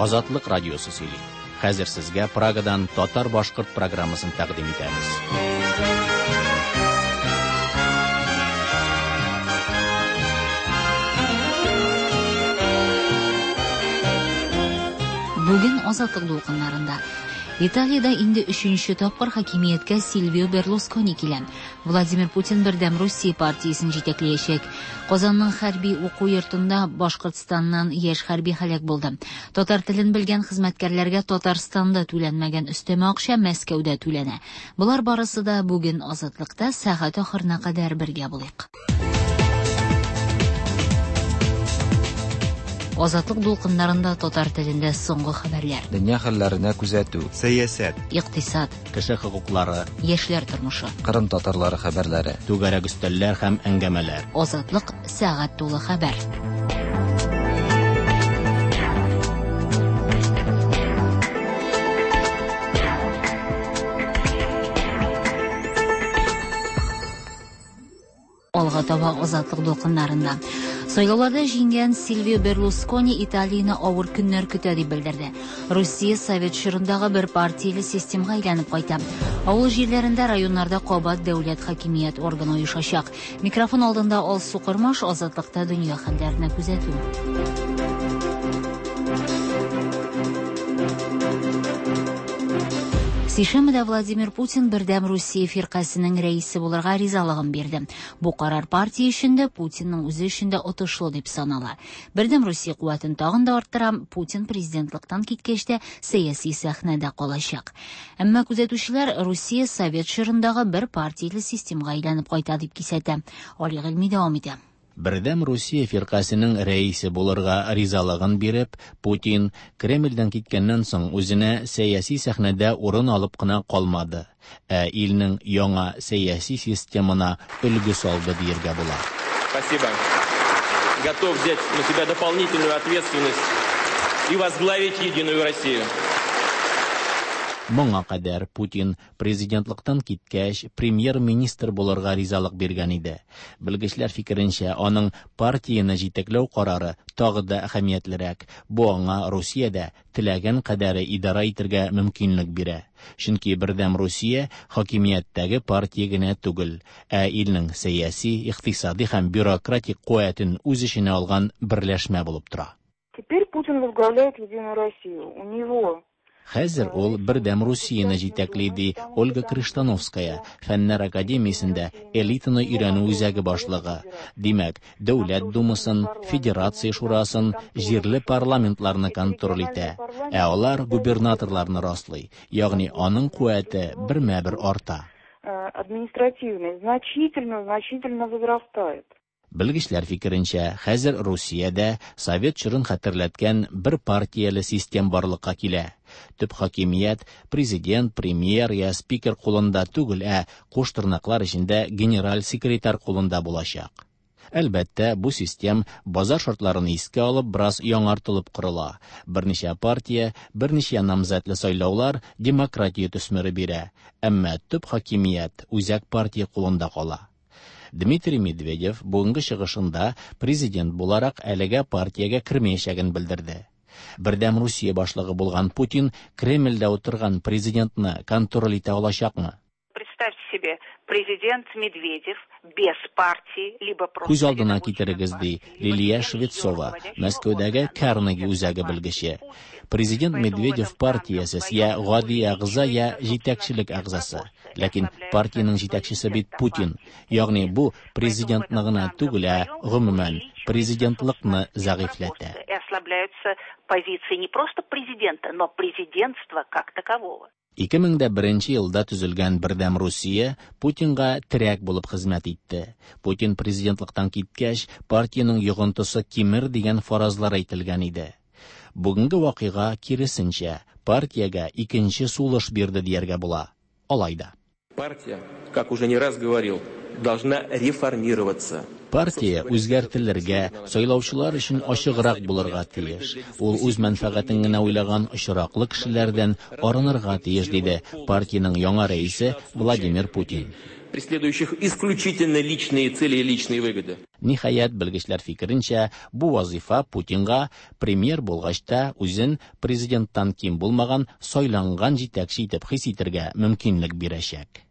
Азатлык радиосы сөйли. Хәзер сезгә Прагадан татар-башкорт программасын тәкъдим итәбез. Бүген Азатлык дулкыннарында Италиядә инде өченче тапкыр хакимияткә Сильвио Берлускони килә. Владимир Путин Бердәм Русия партиясен җитәкләячәк. Казанның хәрби уку йортында Башкортстаннан яшь хәрби һәлак булды. Татар телен белгән хезмәткәрләргә Татарстанда түләнмәгән өстәмә акча Мәскәүдә түләнә. Болар барысы да бүген Азатлыкта сәгать ахырына кадәр бергә булыйк. Азатлык дулкыннарында татар телендә соңгы хәбәрләр. Дөнья хәлләренә күзәтү. Сәясәт. Икътисад. Кеше хокуклары. Яшьләр тормышы. Кырым татарлары хәбәрләре. Түгәрәк өстәлләр һәм әңгәмәләр. Азатлык сәгать тулы хәбәр. Алга таба Азатлык дулкыннарында. Сайлауларда җиңгән Сильвио Берлускони Италияне авыр көннәр көтә дип белдерде. Русия совет чорындагы бер партияле системга әйләнеп кайта. Авыл җирләрендә, районнарда кабат дәүләт хакимият органы оешачак. Микрофон алдында Алсу Кормаш, Азатлыкта дөнья хәлләренә күзәтү. Сишәмбедә Владимир Путин Бердәм Русия фиркасенең рәисе булырга ризалыгын бирде. Бу карар партия өчен дә, Путинның үзе өчен дә отышлы дип санала. Бердәм Русия куәтен тагын да арттыра, Путин президентлыктан киткәч тә сәяси сәхнәдә калачак. Әмма күзәтүчеләр Русия совет чорындагы бер партияле системга әйләнеп кайта дип кисәтә. Али Гыйльми дәвам итә. Бердәм Русия фиркасенең рәисе булырга ризалыгын биреп, Путин Кремльдән киткәннән соң үзенә сәяси сәхнәдә урын алып кына калмады, ә илнең яңа сәяси системына өлге салды диергә була. Спасибо. Готов взять на себя дополнительную ответственность и возглавить Единую Россию. Моңа кадәр Путин президентлыктан киткәч премьер-министр булырга ризалык биргән иде. Белгечләр фикеренчә, аның партияне җитәкләү карары тагы да әһәмиятлерәк. Бу аңа Русиядә теләгән кадәре идара итәргә мөмкинлек бирә. Чөнки Бердәм Русия хакимияттәге партия генә түгел, ә илнең сәяси, икътисади һәм бюрократик куәтен үз эченә алган берләшмә булып тора. Теперь Путин возглавляет Единую Россию. У него Хәзер ул Бердәм Русияне җитәкли, ди Ольга Крыштановская, Фәннәр академиясендә элитаны өйрәнү үзәге башлыгы. Димәк, Дәүләт Думасын, Федерация Шурасын, җирле парламентларны контроль итә. Ә алар губернаторларны раслый, ягъни аның куәте бермә-бер арта. Административный значительно, значительно возрастает. Белгечләр фикеренчә, хәзер Русиядә совет чорын хәтерләткән бер партияле систем барлыкка килә. Төп хакимият президент, премьер я спикер кулында түгел, ә куш тырнаклар эчендә генераль секретарь кулында булачак. Әлбәттә, бу систем базар шартларын искә алып бераз яңартылып корыла. Берничә партия, берничә намзәтле сайлаулар демократия төсмере бирә. Әмма төп хакимият үзәк партия кулында кала. Дмитрий Медведев бүгенге чыгышында президент буларак әлегә партиягә кермәячәген белдерде. Бердәм Русия башлыгы булган Путин Кремльдә утырган президентны контроль итә алачакмы? Представьте себе, президент Медведев без партии, либо просто... Күз алдына китерегез, ди Лилия Швецова, Мәскәүдәге Карнеги үзәге белгече. Президент Медведев партиясез я гади әгъза, я җитәкчелек әгъзасы. Ләкин партиянең җитәкчесе бит Путин. Ягъни бу президентны гына түгел, ә гомумән президентлыкны зәгыйфьләтә. И ослабляются позиции не просто президента, но президентства как такового. 2001 елда төзелгән Бердәм Русия Путинга терәк булып хезмәт итте. Путин президентлыктан киткәч, партиянең йогынтысы кимер дигән фаразлар әйтелгән иде. Бүгенге вакыйга киресенчә, партиягә икенче сулыш бирде дияргә була. Алай да. Партия, как уже не раз говорил, должна реформироваться. Партия үзгәртелергә, сайлаучылар өчен ачыграк булырга тиеш. Ул үз мәнфәгатен генә уйлаган очраклы кешеләрдән арынырга тиеш, диде партиянең яңа рәисе Владимир Путин. преследующих исключительно личные цели и личные выгоды. Ниһаять, белгечләр фикеренчә, бу вазыйфа Путинга премьер булгач та үзен президенттан ким булмаган сайланган җитәкче итеп хис итәргә мөмкинлек бирәчәк.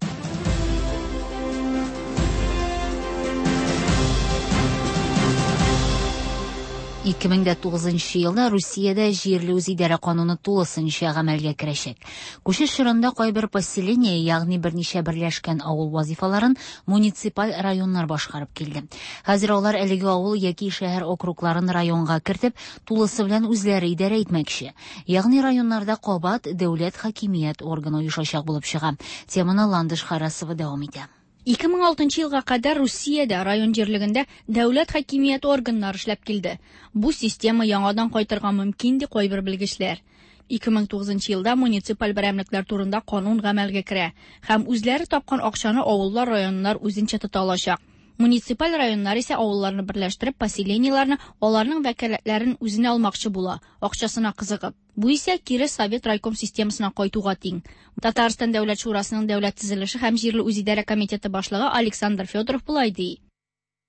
2009 елда Русиядә җирле үзидарә кануны тулысынча гамәлгә керәчәк. Күчеш чорында кайбер поселение, ягъни берничә берләшкән авыл вазифаларын муниципаль районнар башкарып килде. Хәзер алар әлеге авыл яки шәһәр округларын районга кертеп, тулысы белән үзләре идарә итмәкче. Ягъни районнарда кабат дәүләт хакимият органы оешачак булып чыга. Теманы Ландыш Харасова дәвам итә. 2006 елга кадәр Русиядә район җирлегендә дәүләт хакимияте органнары эшләп килде. Бу система яңадан кайтырга мөмкин, ди кайбер белгечләр. 2009 елда муниципаль берәмлекләр турында канун гамәлгә керә һәм үзләре тапкан акчаны авыллар, районнар үзенчә тота алачак. Муниципаль районнар исә авылларны берләштереп, поселениеләрне, аларның вәкаләтләрен үзенә алмакчы була, акчасына кызыгып. Бу исә кире совет райком системасына кайтуга тиң. Татарстан Дәүләт Шурасының дәүләт төзелеше һәм җирле үзидарә комитеты башлыгы Александр Федоров болай ди.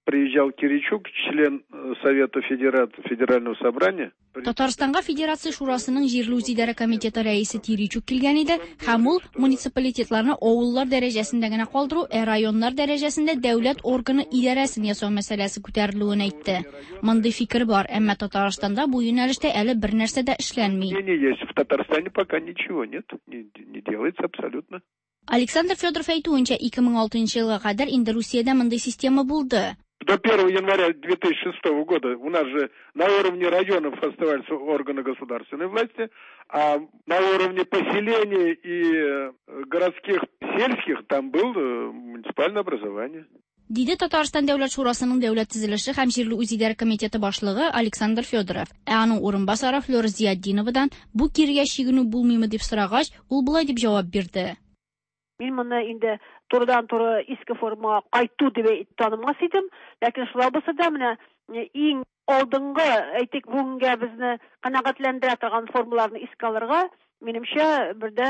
Приезжал Киричук, член Совета Федерального собрания. Татарстанга Федерация Шурасының җирле үзидарә комитеты рәисе Киричук килгән иде һәм ул муниципалитетларны авыллар дәрәҗәсендә генә калдыру, ә районнар дәрәҗәсендә дәүләт органы идарәсен ясау мәсьәләсе күтәрелүен әйтте. Мондый фикер бар, әмма Татарстанда бу юнәлештә әле бер нәрсә дә эшләнми. Есть. В Татарстане пока ничего нет, не делается абсолютно. Александр Федоров әйтүенчә, 2006 елга кадәр инде Русиядә мондый система булды. До 1 января 2006 года у нас же на уровне районов оставались органы государственной власти, а на уровне поселений и городских, сельских там было муниципальное образование. Диде Татарстан Дәүләт Шурасының дәүләт төзелеше һәм җирле үзидарә комитеты башлыгы Александр Федоров. Ә аның урынбасары Флёра Зиятдиновадан бу кирегә чигенү булмыймы дип сорагач, ул болай дип җавап бирде. Мин моны инде турыдан-туры иске формага кайту дип танымас идем, ләкин шулай булса да менә иң алдынгы, әйтик, бүгенгә безне канәгатьләндерә торган формаларны искә алырга, минемчә, бер дә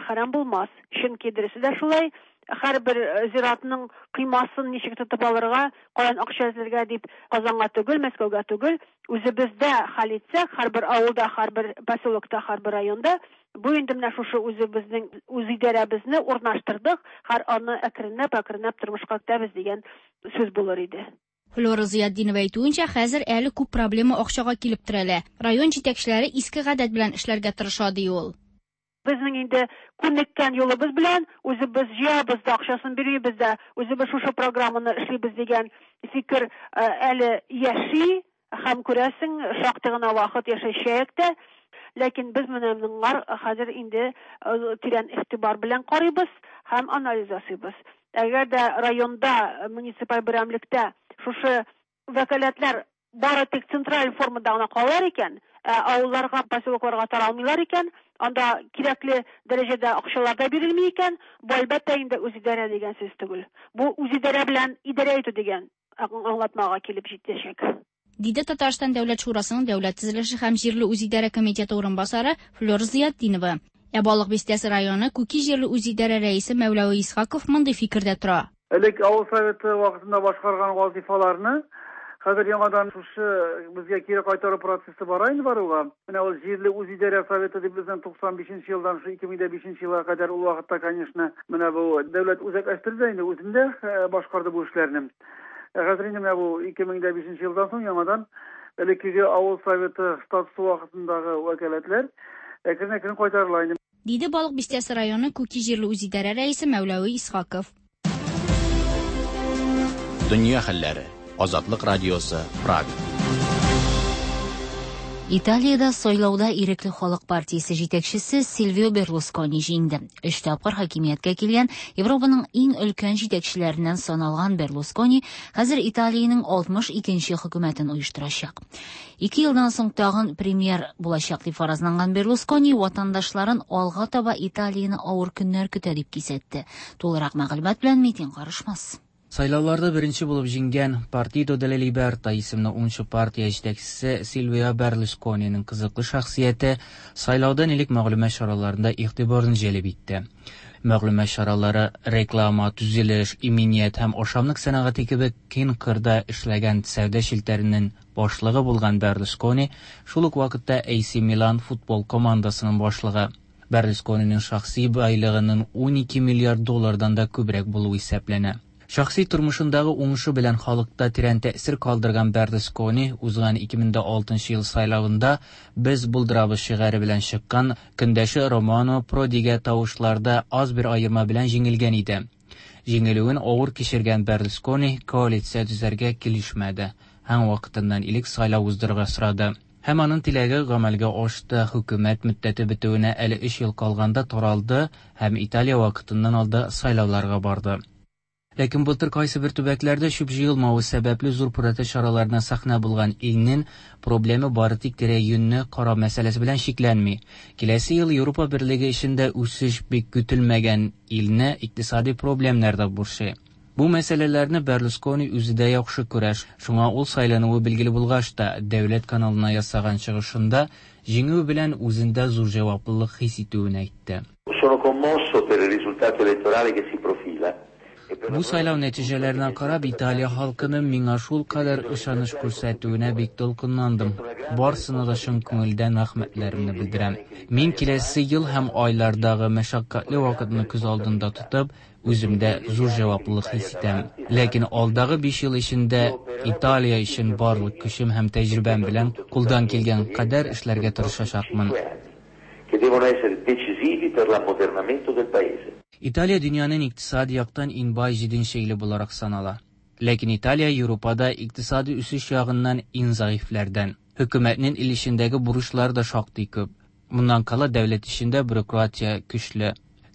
хәрам булмас. Чөнки дөресе дә шулай, һәрбер зиратның кыймасын ничек тотып алырга, каян акча эзләргә дип Казанга түгел, Мәскәүгә түгел, үзебездә хәл итсәк, һәрбер авылда, һәрбер поселокта, һәрбер районда бу инде менә шушы үзебезнең үзидарәбезне урнаштырдык, һәр аны әкренләп-әкренләп тормышка кертәбез дигән сүз булыр иде. Флёра Зыятдинова әйтүенчә, хәзер әле күп проблема акчага килеп терәлә. Район җитәкчеләре иске гадәт белән эшләргә тырыша, ди ул. Безнең инде күнеккән юлыбыз белән үзебез җыябыз да, акчасын бирмибез дә, үзебез шушы программаны эшлибез дигән фикер әле яши һәм күрәсең, шактый гына вакыт яшәячәк тә. Ләкин без менә моңар хәзер инде тирән игътибар белән карыйбыз һәм анализ ясыйбыз. Әгәр дә районда, муниципаль берәмлектә шушы вәкаләтләр бары тик централь формада гына калалар икән, авылларга, поселокларга таралмыйлар икән, анда кирәкле дәрәҗәдә акчалар да бирелми икән, бу әлбәттә инде үзидарә дигән сүз түгел. Бу үзидарә белән идарә итү дигән аңлатмага килеп җитәчәк. Диде Татарстан Дәүләт Шурасының дәүләт төзелеше һәм җирле үзидарә комитеты урынбасары Флёра Зыятдинова. Ә Балык Бистәсе районы Күки җирле үзидарә рәисе Мәүләви Исхаков мондый фикердә тора. Элек авыл советы вакытында башкарган вазифаларны хәзер яңадан шушы безгә кире кайтару процессы бара инде баруга. Менә ул җирле үзидарә советы дип безнең 95 елдан шу 2005 елга кадәр ул вакытта, конечно, менә бу дәүләт үзәкләштерде инде, үзендә башкарды бу эшләрне. Хәзер инде менә бу 2005 елдан соң яңадан элеккеге авыл советы статусы вакытындагы вәкаләтләр әкрен-әкрен кайтарыла инде. Диде Балык Бистәсе районы Күки җирле үзидарә рәисе Мәүләви Исхаков. Дөнья хәлләре. Азатлык радиосы, Прага. Италиядә сайлауда Ирекле халык партиясе җитәкчесе Сильвио Берлускони җиңде. Өч тапкыр хакимияткә килгән Европаның иң өлкән җитәкчеләреннән саналган Берлускони хәзер Италиянең 62нче хөкүмәтен оештырачак. 2 елдан соң тагын премьер булачак дип фаразланган Берлускони ватандашларын алга таба Италияне авыр көннәр көтә дип кисәтте. Тулырак мәгълүмат белән Митин Карышмас. Сайлауларда беренче булып җиңгән Партидо делла Либерта исемле уңчы партия җитәкчесе Сильвио Берлускониның кызыклы шәхсияте сайлаудан элек мәгълүмат чараларында игътибарны җәлеп итте. Мәгълүмат чаралары, реклама, төзелеш, иминият һәм ашамлык сәнәгате кебек киң кырда эшләгән сәүдә челтәренең башлыгы булган Берлускони шул ук вакытта AC Milan футбол командасының башлыгы. Берлускониның шәхси байлыгының 12 миллиард доллардан да күбрәк булуы исәпләнә. Шәхси тормышындагы уңышы белән халыкта тирән тәэсир калдырган Берлускони узган 2006 ел сайлавында «Без булдырабыз» шигаре белән чыккан көндәше Романо Продига тавышларда аз бер аерма белән җиңелгән иде. Җиңелүен авыр кичергән Берлускони коалиция төзәргә килешмәде һәм вакытыннан элек сайлау уздырырга сорады. Һәм аның теләге гамәлгә ашты, хөкүмәт мөддәте бетүенә әле 3 ел калганда таралды һәм Италия вакытыннан алда сайлауларга барды. Ләкин былтыр кайсы бер төбәкләрдә чүп җыелмавы сәбәпле зур протест чараларына сәхнә булган илнең проблемы бары тик тирә-юньне карау мәсьәләсе белән чикләнми. Киләсе ел Европа берлеге эчендә үсеш бик көтелмәгән илне икътисади проблемнар да борчый. Бу мәсьәләләрне Берлускони үзе дә яхшы күрә, шуңа ул сайлануы билгеле булгач та, дәүләт каналына ясаган чыгышында җиңүе белән үзендә зур җаваплылык хис итүен әйтте. Sono commosso per il risultato elettorale che si profila. Бу сайлау нәтиҗәләренә карап, Италия халкының миңа шулкадәр ышаныч күрсәтүенә бик дулкынландым. Барысына да чын күңелдән рәхмәтләремне белдерәм. Мин киләсе ел һәм айлардагы мәшәкатьле вакытны күз алдында тотып, үземдә зур җаваплылык хис итәм. Ләкин алдагы 5 ел эчендә Италия өчен барлык көчем һәм тәҗрибәм белән кулдан килгән кадәр эшләргә тырышачакмын. Che devono essere decisivi per l'ammodernamento del paese. Италия дөньяның икътисади яктан иң бай җиденче иле буларак санала. Ләкин Италия Европада икътисади үсеш ягыннан иң зәгыйфьләрдән. Хөкүмәтнең ил эчендәге бурычлары да шактый күп. Моннан кала дәүләт эчендә бюрократия көчле.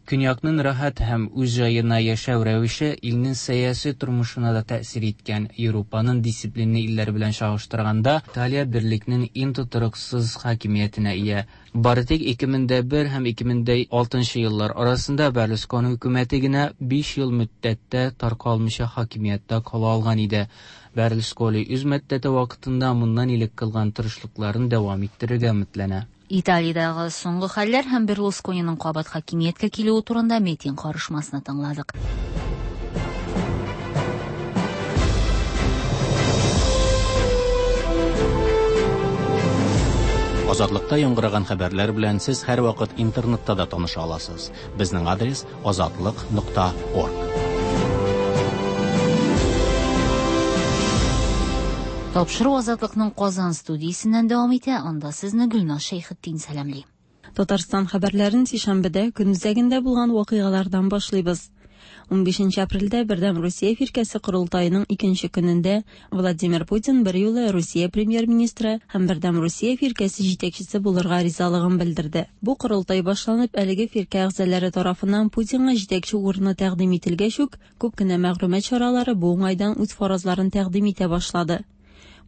Көньякның рәхәт һәм үз җаена яшәү рәвеше илнең сәяси тормышына да тәэсир иткән. Европаның дисциплинлы илләре белән чагыштырганда, Италия берлекнең иң тотрыксыз хакимиятенә ия. Бары тик 2001 һәм 2006 еллар арасында Берлускони хөкүмәте генә 5 ел мөддәттә таркалмыйча хакимияттә кала алган иде. Берлускони үз мөддәте вакытында моннан элек кылган тырышлыкларын дәвам иттерергә өметләнә. Италиядәге соңгы хәлләр һәм Берлускониның кабат хакимияткә килүе турында Метин карышмасына тыңладык. Азатлыкта яңгыраган хәбәрләр белән сез һәрвакыт интернетта да таныша аласыз. Безнең адрес azatliq.org. Тапшыру Азатлыкның Казан студиясеннән дәвам итә. Анда сезне Гөлназ Шәйхетдин сәламли. Татарстан хәбәрләрен сишәмбедә көн үзәгендә булган вакыйгалардан башлыйбыз. 15 апрельдә Бердәм Русия фиркәсе корылтаеның икенче көнендә Владимир Путин бер юлы Русия премьер-министры һәм Бердәм Русия фиркәсе җитәкчесе булырга ризалыгын белдерде. Бу корылтай башланып, әлеге фиркә әгъзалары тарафыннан Путинга җитәкче урыны тәкъдим ителгәч үк, күп кенә мәгълүмат чаралары бу уңайдан үз фаразларын тәкъдим итә башлады.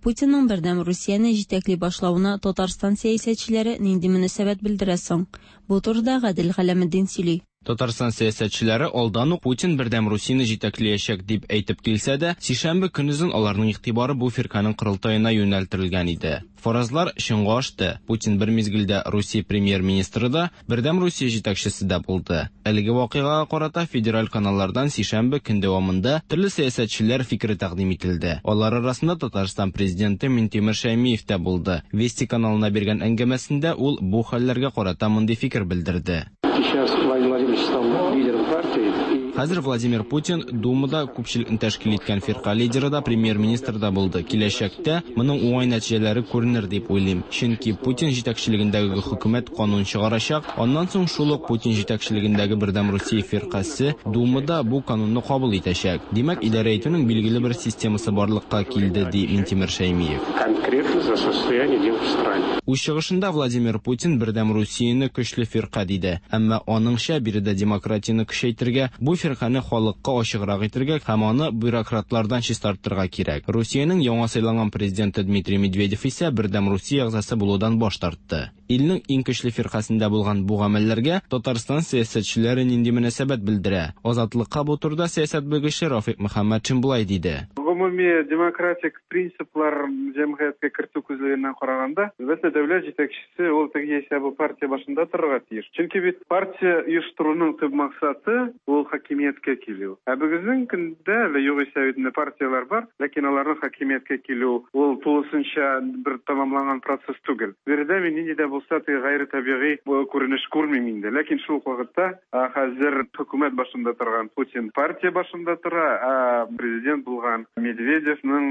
Путинның Бердәм Русияне җитәкли башлавына Татарстан сәясәтчеләре нинди мөнәсәбәт белдерә соң? Бу турыда Гадел Галәметдин сөйли. Татарстан сәясәтчеләре алдан ук Путин Бердәм Русияне җитәкләячәк дип әйтеп килсә дә, сишәмбе көнозын аларның игътибары бу фирканең корылтаена юнәлтелгән иде. Фаразлар чынга ашты. Путин бер мизгелдә Русия премьер-министры да, Бердәм Русия җитәкчесе дә булды. Әлеге вакыйгага карата федераль каналлардан сишәмбе көн дәвамында төрле сәясәтчеләр фикере тәкъдим ителде. Алар арасында Татарстан президенты Минтимер Шәймиев тә булды. Вести каналына биргән әңгәмәсендә ул бу хәлләргә карата мондый фикер белдерде. Сейчас Владимир Владимирович стал лидером партии. Хәзер Владимир Путин Думада күпчелекне тәшкил иткән фирка лидеры да, премьер-министр да булды. Киләчәктә моның уңай нәтиҗәләре күренер дип уйлыйм. Чөнки Путин җитәкчелегендәге хөкүмәт канун чыгарачак, аннан соң шул ук Путин җитәкчелегендәге Бердәм Русия фиркасе Думада бу канунны кабул итәчәк. Димәк, идарә итүнең билгеле бер системасы барлыкка килде, ди Минтимер Шәймиев. Конкретно за состояние дел в стране. Үз чыгышында Владимир Путин Бердәм Русияне көчле фирка диде. Әмма аныңча биредә демократияне көчәйтергә, бу фирканы халыкка ачыграк итергә һәм аны бюрократлардан чистартырга кирәк. Русиянең яңа сайланган президенты Дмитрий Медведев исә Бердәм Русия әгъзасы булудан баш тартты. Илнең иң көчле фиркасында булган бу гамәлләргә Татарстан сәясәтчеләре нинди мөнәсәбәт белдерә? Азатлыкка бу турыда сәясәт белгече Рафик Мөхәммәтшин болай диде. Гомуми демократик принциплар җәмгыятькә кертү күзлегеннән караганда, әлбәттә, дәүләт җитәкчесе ул теге яисә бу партия башында торырга тиеш. Чөнки бит партия оештыруның төп максаты ул хакимияткә килү. Ә бүгенге көндә әле югыйсә бит инде партияләр бар, ләкин аларның хакимияткә килү ул тулысынча бер тәмамланган процесс түгел. Биредә мин нинди дә булса теге гайре табигый күренеш күрмим инде. Ләкин шул ук вакытта хәзер хөкүмәт башында торган Путин партия башында тора, ә президент булган Медведевның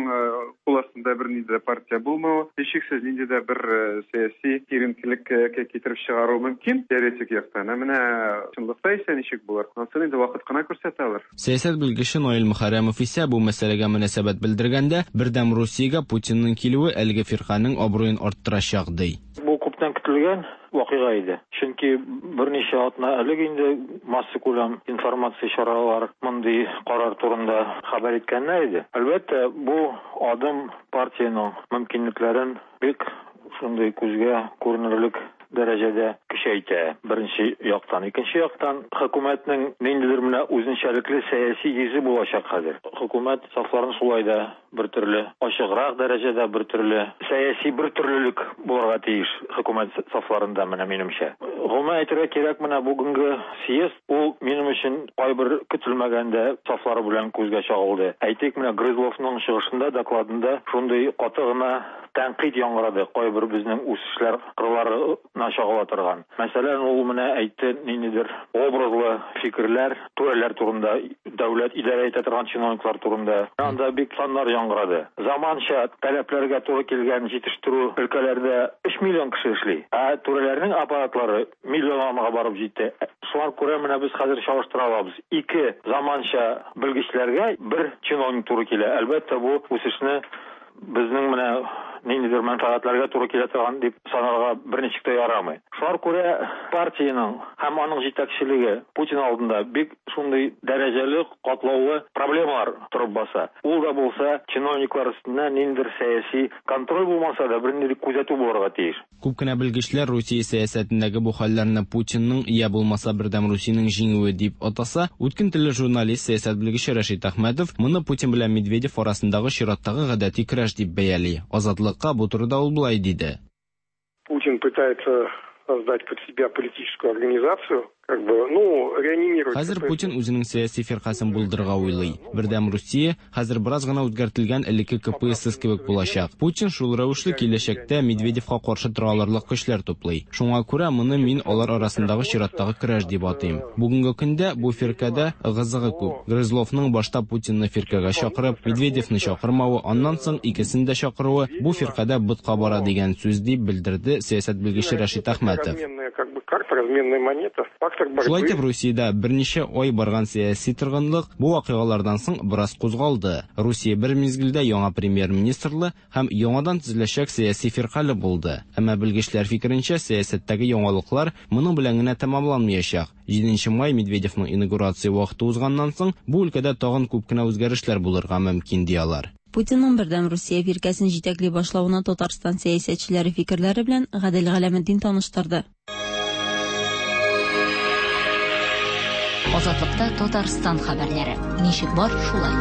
кул астында бернинди дә партия булмавы, һичшиксез, нинди дә бер сәяси киеренкелеккә китереп чыгаруы мөмкин теоретик яктан. Ә менә чынлыкта исә ничек булыр, анысын инде вакыт кына күрсәтә алыр. Сәясәт белгече Наил Мөхәррәмов исә бу мәсьәләгә мөнәсәбәт белдергәндә, Бердәм Русиягә Путинның килүе әлеге фирканең абруен арттырачак, ди. Бу күптән көтелгән вакыйга иде. Чөнки берничә атна элек инде массакүләм информация чаралар мондый карар турында хәбәр иткәннәр иде. Әлбәттә, бу адым партиянең мөмкинлекләрен бик шундый күзгә күренерлек дәрәҗәдә көчәйтә, беренче яктан. Икенче яктан, хөкүмәтнең ниндидер менә үзенчәлекле сәяси йөзе булачак хәзер. Хөкүмәт сафларын шулай да бер төрле ачыграк дәрәҗәдә, бер төрле сәяси бер төрлелек булырга тиеш хөкүмәт сафларында, менә минемчә. Гомумән әйтергә кирәк, менә бүгенге съезд ул минем өчен кайбер көтелмәгәндә сафлары белән күзгә чагылды. Әйтик, менә Грызловның чыгышында, докладында шундый каты гына тәнкыйть яңгырады, кайбер безнең үсешләр кырларына чагыла торган. Мәсәлән, ул менә әйтте ниндидер образлы фикерләр, түрәләр турында, дәүләт идарә итә торган чиновниклар турында. Анда бик саннар яңгырады. Заманча таләпләргә туры килгән җитештерү өлкәләрдә 3 миллион кеше эшли, ә түрәләрнең аппаратлары миллионга барып җитте. Шуңа күрә менә без хәзер чагыштыра алабыз. Ике заманча белгечләргә бер чиновник туры килә. Әлбәттә, бу үсешне безнең менә ниндидер мәнфәгатьләргә туры килә торган дип санарга берничек тә ярамый. Шуңа күрә партиянең һәм аның җитәкчелеге Путин алдында бик шундый дәрәҗәле, катлаулы проблемалар торып баса. Ул да булса чиновниклар өстеннән ниндидер сәяси контроль булмаса да, бернинди күзәтү булырга тиеш. Күп кенә белгечләр Русия сәясәтендәге бу хәлләрне Путинның, я булмаса Бердәм Русиянең җиңүе дип атаса, үткен телле журналист, сәясәт белгече Рәшит Әхмәтов моны Путин белән Медведев арасындагы чираттагы гадәти көрәш дип бәяли. Азатлыкка бу турыда ул болай диде. Путин пытается создать под себя политическую организацию, как бы, ну, реанимировать. Хәзер Путин үзенең сәяси фиркасен булдырырга уйлый. Бердәм Русия хәзер бераз гына үзгәртелгән элекке КПСС кебек булачак. Путин шул рәвешле киләчәктә Медведевка каршы тора алырлык көчләр туплый. Шуңа күрә моны мин алар арасындагы чираттагы көрәш дип атыйм. Бүгенге көндә бу фиркадә ыгы-зыгы күп. Грызловның башта Путинны фиркагә чакырып, Медведевны чакырмавы, аннан соң икесен дә чакыруы бу фиркадә ботка бара дигән сүз, дип белдерде сәясәт белгече Рәшит Әхмәтов. Как бы карта, разменная монета, фактор борьбы. Шулай итеп, Русиядә берничә ай барган сәяси торгынлык бу вакыйгалардан соң бераз кузгалды. Русия бер мизгелдә яңа премьер-министрлы һәм яңадан төзеләчәк сәяси фиркале булды. Әмма белгечләр фикеренчә, сәясәттәге яңалыклар моның белән генә тәмамланмаячак. 7 май Медведевның инаугурация вакыты узганнан соң бу өлкәдә тагын күп кенә үзгәрешләр булырга мөмкин, ди алар. Путинның Бердәм Русия фиркәсен җитәкли башлавына Татарстан сәясәтчеләре фикерләре белән Гадел Галәметдин таныштырды. Азатлыкта Татарстан хәбәрләре. Ничек бар, шулай.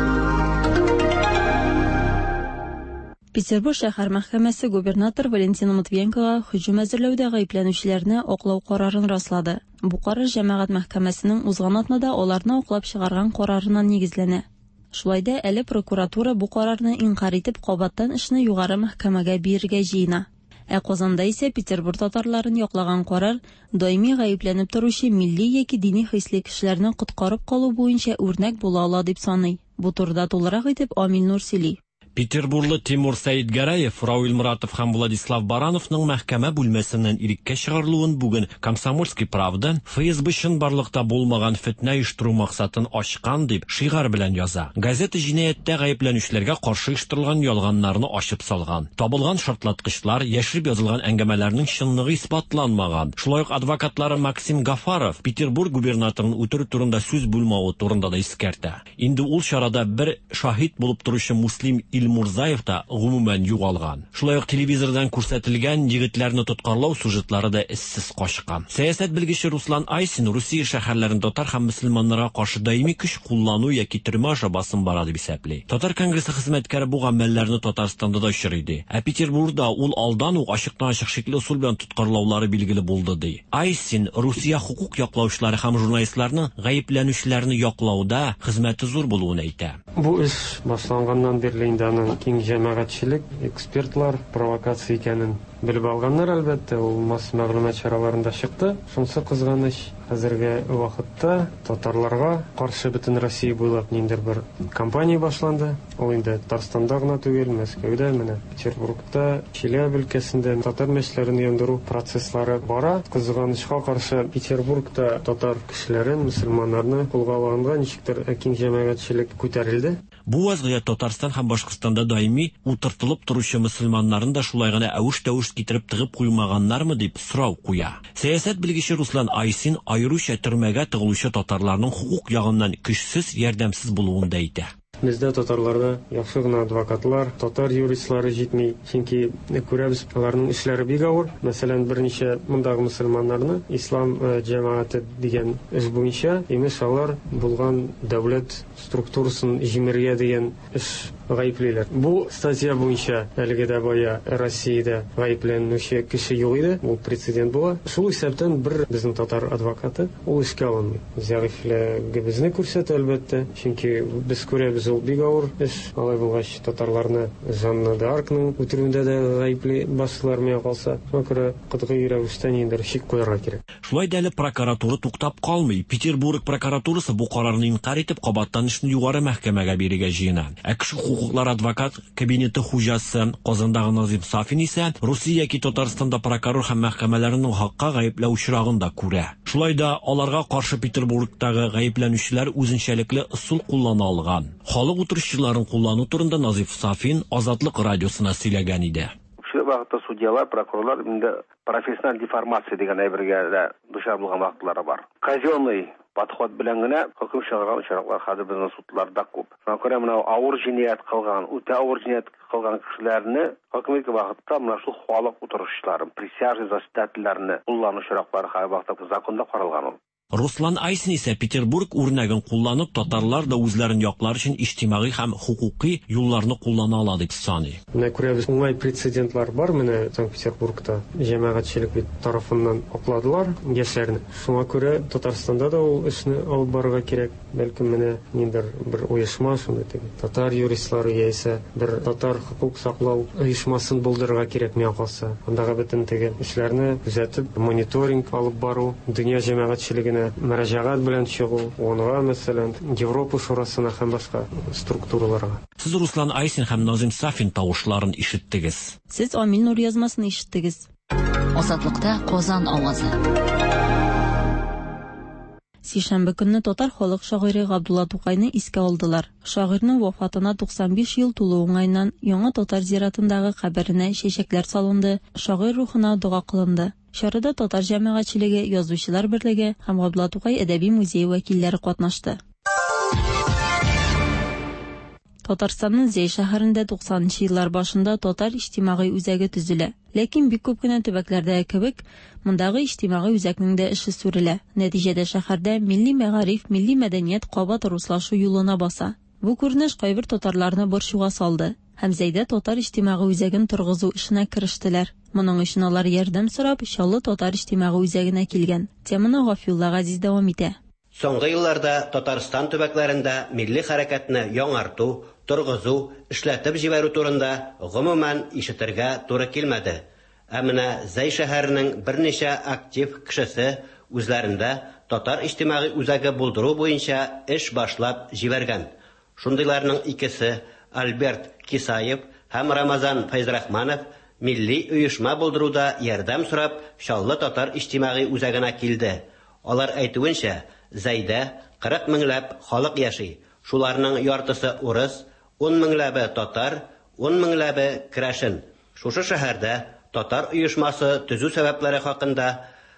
Петербург шәһәр мәхкәмәсе губернатор Валентина Матвиенкога һөҗүм әзерләүдә гаепләнүчеләрне аклау карарын раслады. Бу карар җәмәгать мәхкәмәсенең узган атнада аларны аклап чыгарган карарына нигезләнә. Шулай да әле прокуратура бу карарны инкарь итеп, кабаттан эшне югары мәхкәмәгә бирергә җыена. Ә Казанда исә Петербург татарларын яклаган карар даими гаепләнеп торучы милли яки дини хисле кешеләрне коткарып калу буенча үрнәк була ала дип саный. Бу турыда тулырак итеп Амил Нур сөйли. Петербурлы Тимур Сәидгәрәев, Рауил Муратов һәм Владислав Барановның мәхкәмә бүлмәсеннән иреккә чыгарылуын бүген Комсомольский правда ФСБ чынбарлыкта булмаган фетнә оештыру максатын ачкан дип шигарь белән яза. Газета җинаятьтә гаепләнүчеләргә каршы оештырылган ялганнарны ачып салган. Табылган шартлаткычлар, яшереп язылган әңгәмәләрнең чынлыгы исбатланмаган. Шулай ук адвокатлары Максим Гафаров Петербург губернаторын үтерү турында сүз булмавы турында да искәртә. Инде ул чарада бер шаһит булып торучы Муслим Илмурзаев та гомумән югалган. Шулай ук телевизордан күрсәтелгән егетләрне тоткарлау сюжетлары да эзсез качкан. Сәясәт белгече Руслан Айсин Русия шәһәрләрен татар һәм мөселманнарга каршы даими көч куллану яки төрмә аша басым бара дип исәпли. Татар конгрессы хезмәткәре бу гамәлләрне Татарстанда да очрый ди. Ә Петербургда ул алдан ук ачыктан-ачык шикле ысул белән тоткарлаулары билгеле булды ди. Айсин Русия хокук яклаучылары һәм журналистларның гаепләнүчеләрне яклауда хезмәте зур булуын әйтә. Бу эш башланганнан бирле инде аның киң җәмәгатьчелек, экспертлар провокация икәнен белеп алганнар, әлбәттә, ул масса мәгълүмат чараларында чыкты. Шунысы кызганыч, хәзерге вакытта татарларга каршы бөтен Россия буйлап ниндидер бер кампания башланды. Ул инде Татарстанда гына түгел, Мәскәүдә, менә Петербургта, Челябе өлкәсендә татар мәчетләрен яндыру процесслары бара. Кызганычка каршы, Петербургта татар кешеләрен, мөселманнарны кулга алганга ничектер киң җәмәгатьчелек күтәрелде. Бу вазгыять Татарстан һәм Башкортстанда даими утыртылып торучы мөселманнарны да шулай гына әвеш-тәвеш китереп тыгып куймаганнармы дип сорау куя. Сәясәт белгече Руслан Айсин аеруча төрмәгә тыгылучы татарларның хокук ягыннан көчсез, ярдәмсез булуын да әйтә. Бездә татарларда яхшы гына адвокатлар, татар юристлары җитми, чөнки күрәбез, аларның эшләре бик авыр. Мәсәлән, берничә мондагы мөселманнарны ислам җәмәгате дигән эш буенча, имеш, алар булган дәүләт структурасын җимерергә дигән эш гаеплиләр. Бу статья буенча әлеге дә бая Россиядә гаепләнүче кеше юк иде, ул прецедент була. Шул исәптән бер безнең татар адвокаты ул эшкә алынмый. Зәгыйфьлегебезне күрсәтә, әлбәттә, чөнки без күрәбез, ул бик авыр эш. Алай булгач, татарларны Жанна д'Аркның үтерүендә дә гаепли башлыйлар миңа калса. Шуңа күрә катгый рәвештә ниндидер чик куярга кирәк. Шулай да әле прокуратура туктап калмый. Петербург прокуратурасы бу карарны инкарь итеп, кабаттан эшне югары мәхкәмәгә бирергә җыена. Ә кеше хокуклары адвокат кабинеты хуҗасы Казандагы Назыйм Сафин исә Русия яки Татарстанда прокурор һәм мәхкәмәләрнең хакка гаепләү очрагын да күрә. Шулай да аларга каршы Петербургтагы гаепләнүчеләр үзенчәлекле ысул куллана алган. Халык утырышчыларын куллану турында Назыйф Сафин Азатлык радиосына сөйләгән иде. Шул вакытта судьялар, прокурорлар инде профессиональ деформация дигән әйбергә дә дучар булган вакытлары бар. Казенный подход белән генә хөкем чыгарган очраклар хәзер безнең судларда күп. Шуңа күрә менә авыр җинаять кылган, үтә авыр җинаять кылган кешеләрне хөкем иткән вакытта менә шул халык утырышчыларын, присяжный заседательләрне куллану очраклары һәрвакытта законда каралган ул. Руслан Айсин исә Петербург үрнәген кулланып, татарлар да үзләрен яклар өчен иҗтимагый һәм хокукый юлларны куллана ала дип саный. Менә күрәбез, уңай прецедентлар бар, менә Санкт-Петербургта җәмәгатьчелек бит тарафыннан акладылар яшьләрне. Шуңа күрә Татарстанда да ул эшне алып барырга кирәк. Бәлкем менә ниндидер бер оешма, шундый теге татар юристлары яисә бер татар хокук саклау оешмасын булдырырга кирәк миңа калса. Андагы бөтен теге эшләрне күзәтеп, мониторинг алып бару, дөнья җәмәгатьчелегенә мөрәҗәгать белән чыгу, ООНга, мәсәлән, Европа шурасына һәм башка структураларга. Сез Руслан Айсин һәм Назыйм Сафин тавышларын ишеттегез. Сез Амил Нур язмасын ишеттегез. Азатлыкта Казан авазы. Сишәмбе көнне татар халык шагыйре Габдулла Тукайны искә алдылар. Шагыйрьнең вафатына 95 ел тулу уңаеннан Яңа татар зиратындагы каберенә чәчәкләр салынды, шагыйрь рухына дога кылынды. Чарада татар җәмәгатьчелеге, Язучылар берлеге һәм Габдулла Тукай әдәби музее вәкилләре катнашты. Татарстанның Зәй шәһәрендә 90 нчы еллар башында татар иҗтимагый үзәге төзелә. Ләкин бик күп кенә төбәкләрдәге кебек, мондагы иҗтимагый үзәкнең дә эше сүрелә. Нәтиҗәдә шәһәрдә милли мәгариф, милли мәдәният кабат руслашу юлына баса. Бу күренеш кайбер татарларны борчуга салды һәм Зәйдә татар иҗтимагый үзәген торгызу эшенә керештеләр. Моның өчен алар ярдәм сорап Чаллы татар иҗтимагый үзәгенә килгән. Теманы Гафиулла Газиз дәвам итә. Соңгы елларда Татарстан төбәкләрендә милли хәрәкәтне яңарту, торгызу, эшләтеп җибәрү турында гомумән ишетергә туры килмәде. Ә менә Зәй шәһәренең берничә актив кешесе үзләрендә татар иҗтимагый үзәге булдыру буенча эш башлап җибәргән. Шундыйларның икесе, Альберт Кисаев һәм Рамазан Фәйзрахманов милли оешма булдыруда ярдәм сорап Чаллы татар иҗтимагый үзәгенә килде. Алар әйтүенчә, Зәйдә 40 меңләп халык яши, шуларның яртысы урыс, ун меңләбе татар, ун меңләбе керәшен. Шушы шәһәрдә татар оешмасы төзү сәбәпләре хакында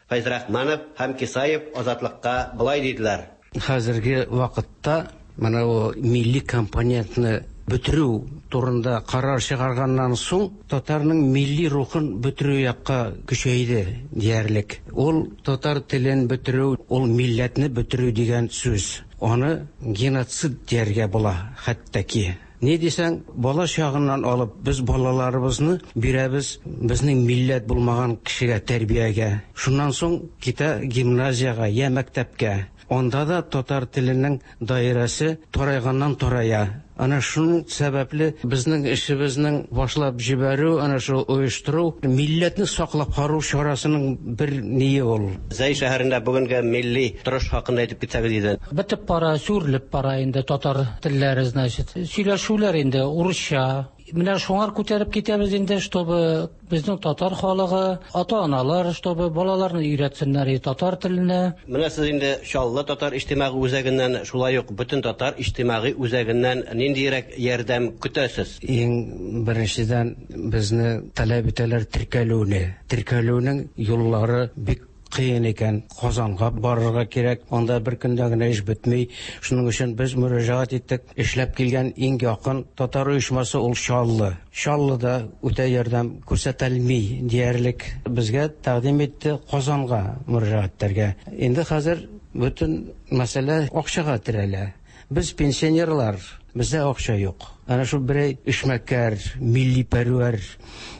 Фәйзрахманов һәм Кисаев Азатлыкка болай диделәр. Хәзерге вакытта менә бу милли компонентны бетерү турында карар чыгарганнан соң, татарның милли рухын бетерү якка көчәйде диярлек. Ул татар телен бетерү, ул милләтне бетерү дигән сүз. Аны геноцид дияргә була хәтта ки. Ни дисәң, бала чагыннан алып без балаларыбызны бирәбез безнең милләт булмаган кешегә тәрбиягә. Шуннан соң китә гимназиягә я мәктәпкә. Анда да татар теленең даирәсе тарайганнан тарая. Ана шуның сәбәпле безнең эшебезнең башлап җибәрү, ана шул оештыру, милләтне саклап калу чарасының бер ние ул. Зәй шәһәрендә бүгенге милли торыш хакында әйтеп китсәгез иде. Бетеп бара, сүрелеп бара инде татар телләре, значит. Сөйләшүләр инде урысча. Менә шуңар күтәреп китәбез инде, чтобы безнең татар халыгы, ата-аналар, чтобы балаларны өйрәтсеннәр и татар теленә. Менә сез инде Чаллы татар иҗтимагый үзәгеннән, шулай ук бөтен татар иҗтимагый үзәгеннән ниндиерәк ярдәм көтәсез? Иң беренчедән безне таләп итәләр теркәлүне. Теркәлүнең юллары бик кыен икән. Казанга барырга кирәк, анда бер көндә генә эш бетми. Шуның өчен без мөрәҗәгать иттек. Эшләп килгән иң якын татар оешмасы ул Чаллы. Чаллыда үтә ярдәм күрсәтелми диярлек. Безгә тәкъдим итте Казанга мөрәҗәгать итәргә. Инде хәзер бөтен мәсьәлә акчага терәлә. Без пенсионерлар, бездә акча юк. Әнә шул берәй эшмәкәр, милли пәрвәр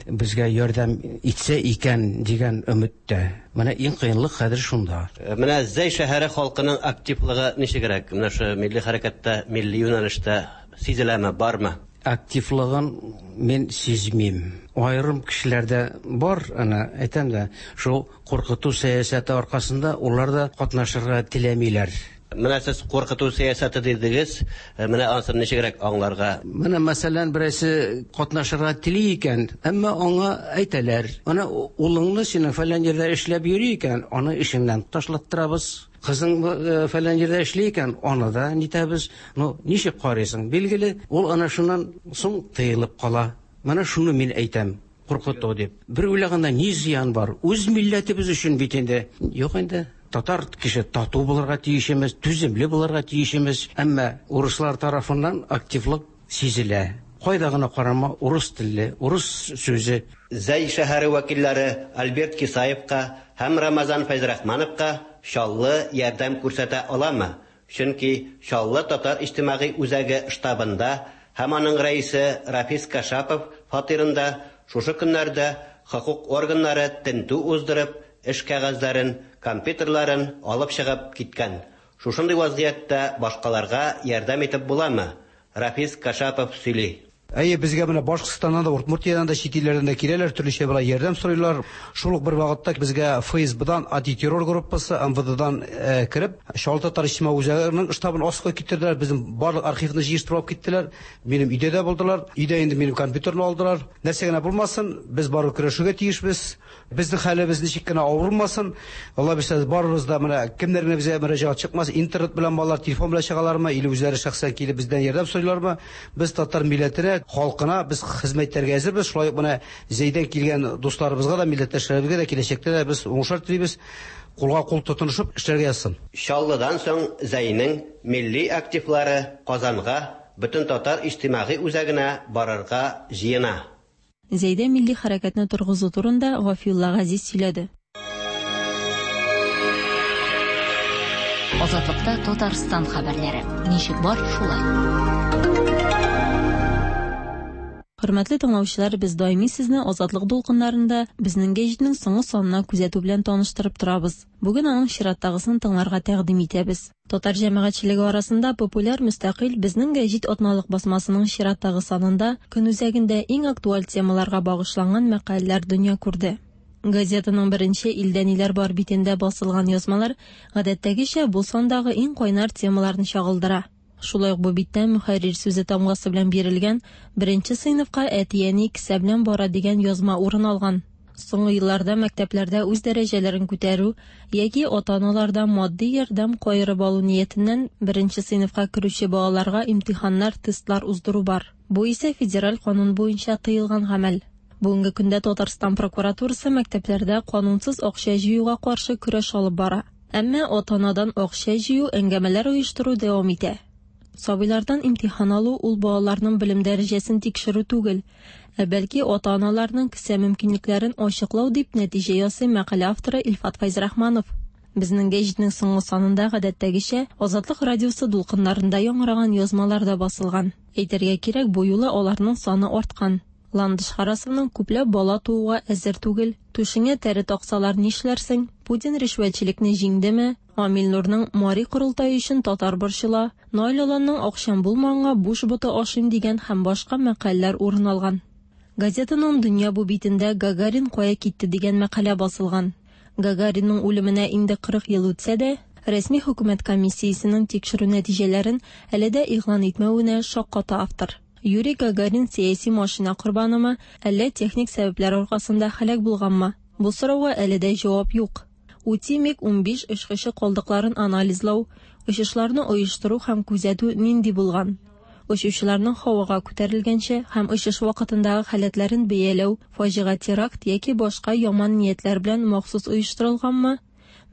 безгә ярдәм итсә икән дигән өметтә. Менә иң кыенлык хәзер шунда. Менә Зәй шәһәре халкының активлыгы ничегрәк? Менә шу милли хәрәкәттә, милли юнәлештә сизеләме, бармы? Активлыгын мин сизмим. Аерым кешеләрдә бар, ана әйтәм дә, шул куркыту сәясәте аркасында улар да катнашырга теләмиләр. Менә сез куркыту сәясәте дидегез, менә анысын ничегрәк аңларга? Менә мәсәлән, берәрсе катнашырга тели икән, әмма аңа әйтәләр, ана улыңны синең фәлән җирдә эшләп йөри икән, аны эшеңнән ташлаттырабыз. Кызың фәлән җирдә эшли икән, аны да нитәбез. Ну, ничек карыйсың? Билгеле, ул ана шуннан соң тыелып кала. Менә шуны мин әйтәм, куркыту дип. Бер уйлаганда ни зыян бар? Үз милләтебез өчен бит инде. Юк инде. Татар кеше тату булырга тиешемез, түземле булырга тиешемез. Әмма урыслар тарафыннан активлык сизелә. Кайда гына карама, урыс телле, урыс сүзе. Зәй шәһәре вәкилләре Альберт Кисаевка һәм Рамазан Фәйзрахмановка Чаллы ярдәм күрсәтә аламы? Чөнки Чаллы татар иҗтимагый үзәге штабында һәм аның рәисе Рафис Кашапов фатирында шушы көннәрдә хокук органнары тентү уздырып, эш кәгазьләрен, компьютерларын алып чыгып киткән. Шушындый вазгыятьтә башкаларга ярдәм итеп буламы? Рафис Кашапов сөйли. Әйе, безгә менә Башкортстаннан да, Удмуртиядән дә, чит илләрдән дә киләләр, төрлечә болай ярдәм сорыйлар. Шул ук бер вакытта безгә ФСБдан антитеррор группасы, МВДдан кереп, Чаллы татар иҗтимагый үзәгенең штабын аска китерделәр, безнең барлык архивны җыештырып алып киттеләр. Минем өйдә дә булдылар. Өйдә инде минем компьютерны алдылар. Нәрсә генә булмасын, без барыбер көрәшергә тиешбез. Безнең хәлебез ничек кенә авыр булмасын, Алла бирсә, барыбыз да менә кемнәр генә безгә мөрәҗәгать чыкмас, интернет белән балалар телефон белән чыгалармы, или үзләре шәхсән килеп бездән ярдәм сорыйлармы, без татар милләтенә, халкына без хезмәт итәргә әзербез. Шулай ук менә Зәйдән килгән дусларыбызга да, милләттәшләребезгә дә киләчәктә дә без уңышлар телибез. Кулга кул тотынышып эшләргә язсын. Чаллыдан соң Зәйнең милли активлары Казанга, Бөтентатар иҗтимагый үзәгенә барырга җыена. Зәйдә милли хәрәкәтне торгызу турында Гафиулла Газиз сөйләде. Азатлыкта Татарстан хәбәрләре. Ничек бар, шулай. Хөрмәтле тыңлаучылар, без даими сезне Азатлык дулкыннарында безнең гәҗитнең соңгы санына күзәтү белән таныштырып торабыз. Бүген аның чираттагысын тыңларга тәкъдим итәбез. Татар җәмәгатьчелеге арасында популяр мөстәкыйль Безнең гәҗит атналык басмасының чираттагы санында көн үзәгендә иң актуаль темаларга багышланган мәкаләләр дөнья күрде. Газетаның беренче Илдә ниләр бар битендә басылган язмалар, гадәттәгечә, бу сандагы иң кайнар темаларны чагылдыра. Шулай ук бу биттә мөхәррир сүзе тамгасы белән бирелгән Беренче сыйныфка әти-әни кесә белән бара дигән язма урын алган. Соңгы елларда мәктәпләрдә үз дәрәҗәләрен күтәрү яки ата-аналардан матди ярдәм каерып алу ниятеннән беренче сыйныфка керүче балаларга имтиханнар, тестлар уздыру бар. Бу исә федераль канун буенча тыелган гамәл. Бүгенге көндә Татарстан прокуратурасы мәктәпләрдә канунсыз акча җыюга каршы көрәш алып бара. Әмма ата-анадан акча җыю, әңгәмәләр оештыру дәвам итә. Сабыйлардан имтихан алу ул балаларның белем дәрәҗәсен тикшерү түгел, ә бәлки ата-аналарның кесә мөмкинлекләрен ачыклау, дип нәтиҗә ясый мәкалә авторы Илфат Фәйзрахманов. Безнең гәҗитнең соңгы санында гадәттәгечә Азатлык радиосы дулкыннарында яңгыраган язмалар да басылган. Әйтергә кирәк, бу юлы аларның саны арткан. Ландыш Харасованың күпләп бала тууга әзер түгел, түшеңә тәре таксалар нишләрсең, Путин ришвәтчелекне җиңдеме, Амил Нурның Мари корылтае өчен татар борчыла, Наил Аланның акчам булмаганга буш боты ашыйм дигән һәм башка мәкаләләр урын алган. Газетаның Дөнья бу битендә Гагарин кая китте дигән мәкалә басылган. Гагаринның үлеменә инде 40 ел үтсә дә, рәсми хөкүмәт комиссиясенең тикшерү нәтиҗәләрен әле дә игълан итмәвенә шакката автор. Юрий Гагарин сәяси машина корбанымы, әллә техник сәбәпләр аркасында һәлак булганмы? Бу сорауга әле дә җавап юк. УТИ МиГ-15 очкычы калдыкларын анализлау, очышларны оештыру һәм күзәтү нинди булган? Очучыларның һавага күтәрелгәнче һәм очыш вакытындагы халәтләрен бәяләү фаҗига теракт яки башка яман ниятләр белән махсус оештырылганмы?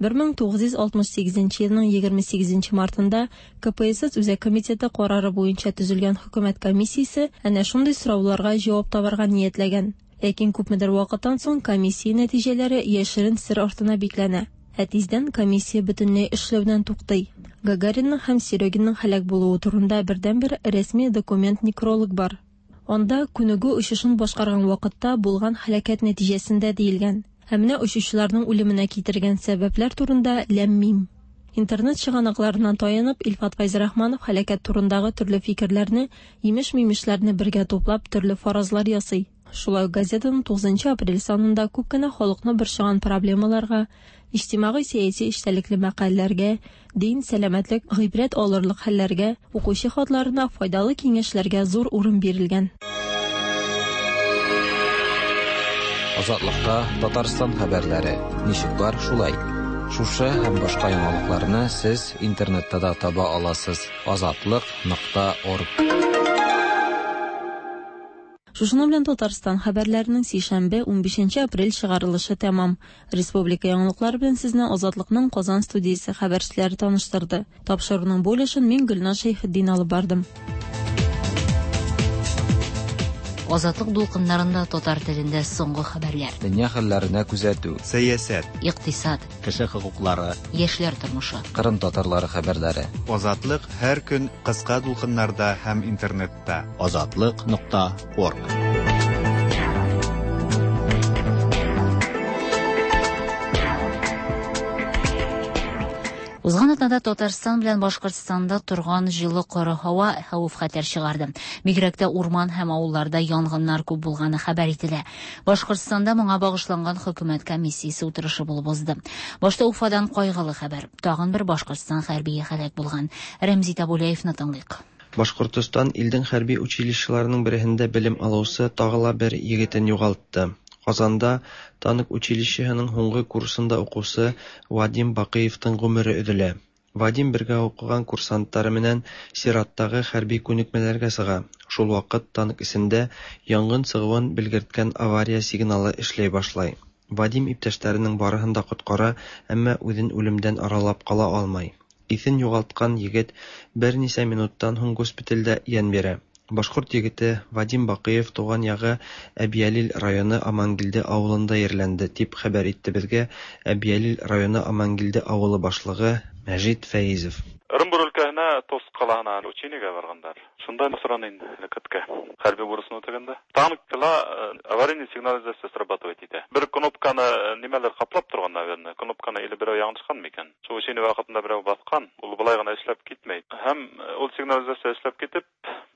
1968 елның 28 мартында КПСС Үзәк комитеты карары буенча төзелгән хөкүмәт комиссиясе әнә шундый сорауларга җавап табарга ниятләгән. Ләкин күпмедер вакыттан соң комиссия нәтиҗәләре яшерен сер артына бикләнә. Ә тиздән комиссия бөтенләй эшләүдән туктый. Гагаринның һәм Серегинның һәлак булуы турында бердәнбер рәсми документ-некролог бар. Анда күнегү очышын башкарган вакытта булган һәлакәт нәтиҗәсендә диелгән. Ә менә очучыларның үлеменә китергән сәбәпләр турында ләм-мим. Интернет чыганакларына таянып, Илфат Фәйзрахманов һәлакәт турындагы төрле фикерләрне, имеш-мимешләрне бергә туплап, төрле фаразлар ясый. Шулай ук газетаның 9 апрель санында күп кенә халыкны борчыган проблемаларга, иҗтимагый-сәяси эчтәлекле мәкаләләргә, дин, сәламәтлек, гыйбрәт алырлык хәлләргә, укучы хатларына файдалы киңәшләргә зур урын бирелгән. Азатлыкта Татарстан хәбәрләре ничек бар шулай. Шушы һәм башка яңалыкларны сез интернетта да таба аласыз: азатлык.орг. Шушының белән Татарстан хәбәрләренең сишәмбе, 15 апрель чыгарылышы тәмам. Республика яңалыклары белән сезне Азатлыкның Казан студиясе хәбәрчеләре таныштырды. Тапшыруның бу өлешен мин Гөлназ Шәйхетдин алып бардым. Азатлык дулкыннарында татар телендә соңгы хәбәрләр. Дөнья хәлләренә күзәтү. Сәясәт. Икътисад. Кеше хокуклары. Яшьләр тормышы. Кырым татарлары хәбәрләре. Азатлык һәр көн кыска дулкыннарда һәм интернетта. Азатлык.орг. Узган атнада Татарстан белән Башкортстанда торган җылы коры һава хәвеф-хәтәр чыгарды. Бигрәк тә урман һәм авылларда янгыннар күп булганы хәбәр ителә. Башкортстанда моңа багышланган хөкүмәт комиссиясе утырышы булып узды. Башта Уфадан кайгылы хәбәр. Тагын бер Башкортстан хәрбие һәлак булган. Рәмзи Табулаевны тыңлыйк. Башкортостан илдең хәрби училищеларының береһендә белем алучы тагы ла бер егетен югалтты. Казанда танк училищеһының һуңгы курсында укучы Вадим Бакыевтың гомере өзелә. Вадим бергә укыган курсантлары менән чираттагы хәрби күнекмәләргә чыга. Шул вакыт танк эчендә янгын чыгуын белгерткән авария сигналы эшләй башлый. Вадим иптәшләренең барыһын да коткара, әмма үзен үлемдән аралап кала алмый. Исен югалткан егет берничә минуттан һуң госпитальдә ян бирә. Башкорт егете Вадим Бакыев туган ягы Әбьялил районы Амангилде авылында җирләнде, дип хәбәр итте безгә Әбьялил районы Амангилде авылы башлыгы Мәҗит Фәизов. Ырынбур өлкәһенә Тост калаһына учениега баргандар. Шунда соран инде һәлакәткә. Хәрби бурысын үтәгәндә. Танкла аварийный сигнализация срабатывать итә. Бер кнопканы нимәләр каплап торган, наверное. Кнопканы или берәү яңлышкан микән? Шул учение вакытында берәү баскан, ул болай гына эшләп китмәй. Һәм ул сигнализация эшләп китеп,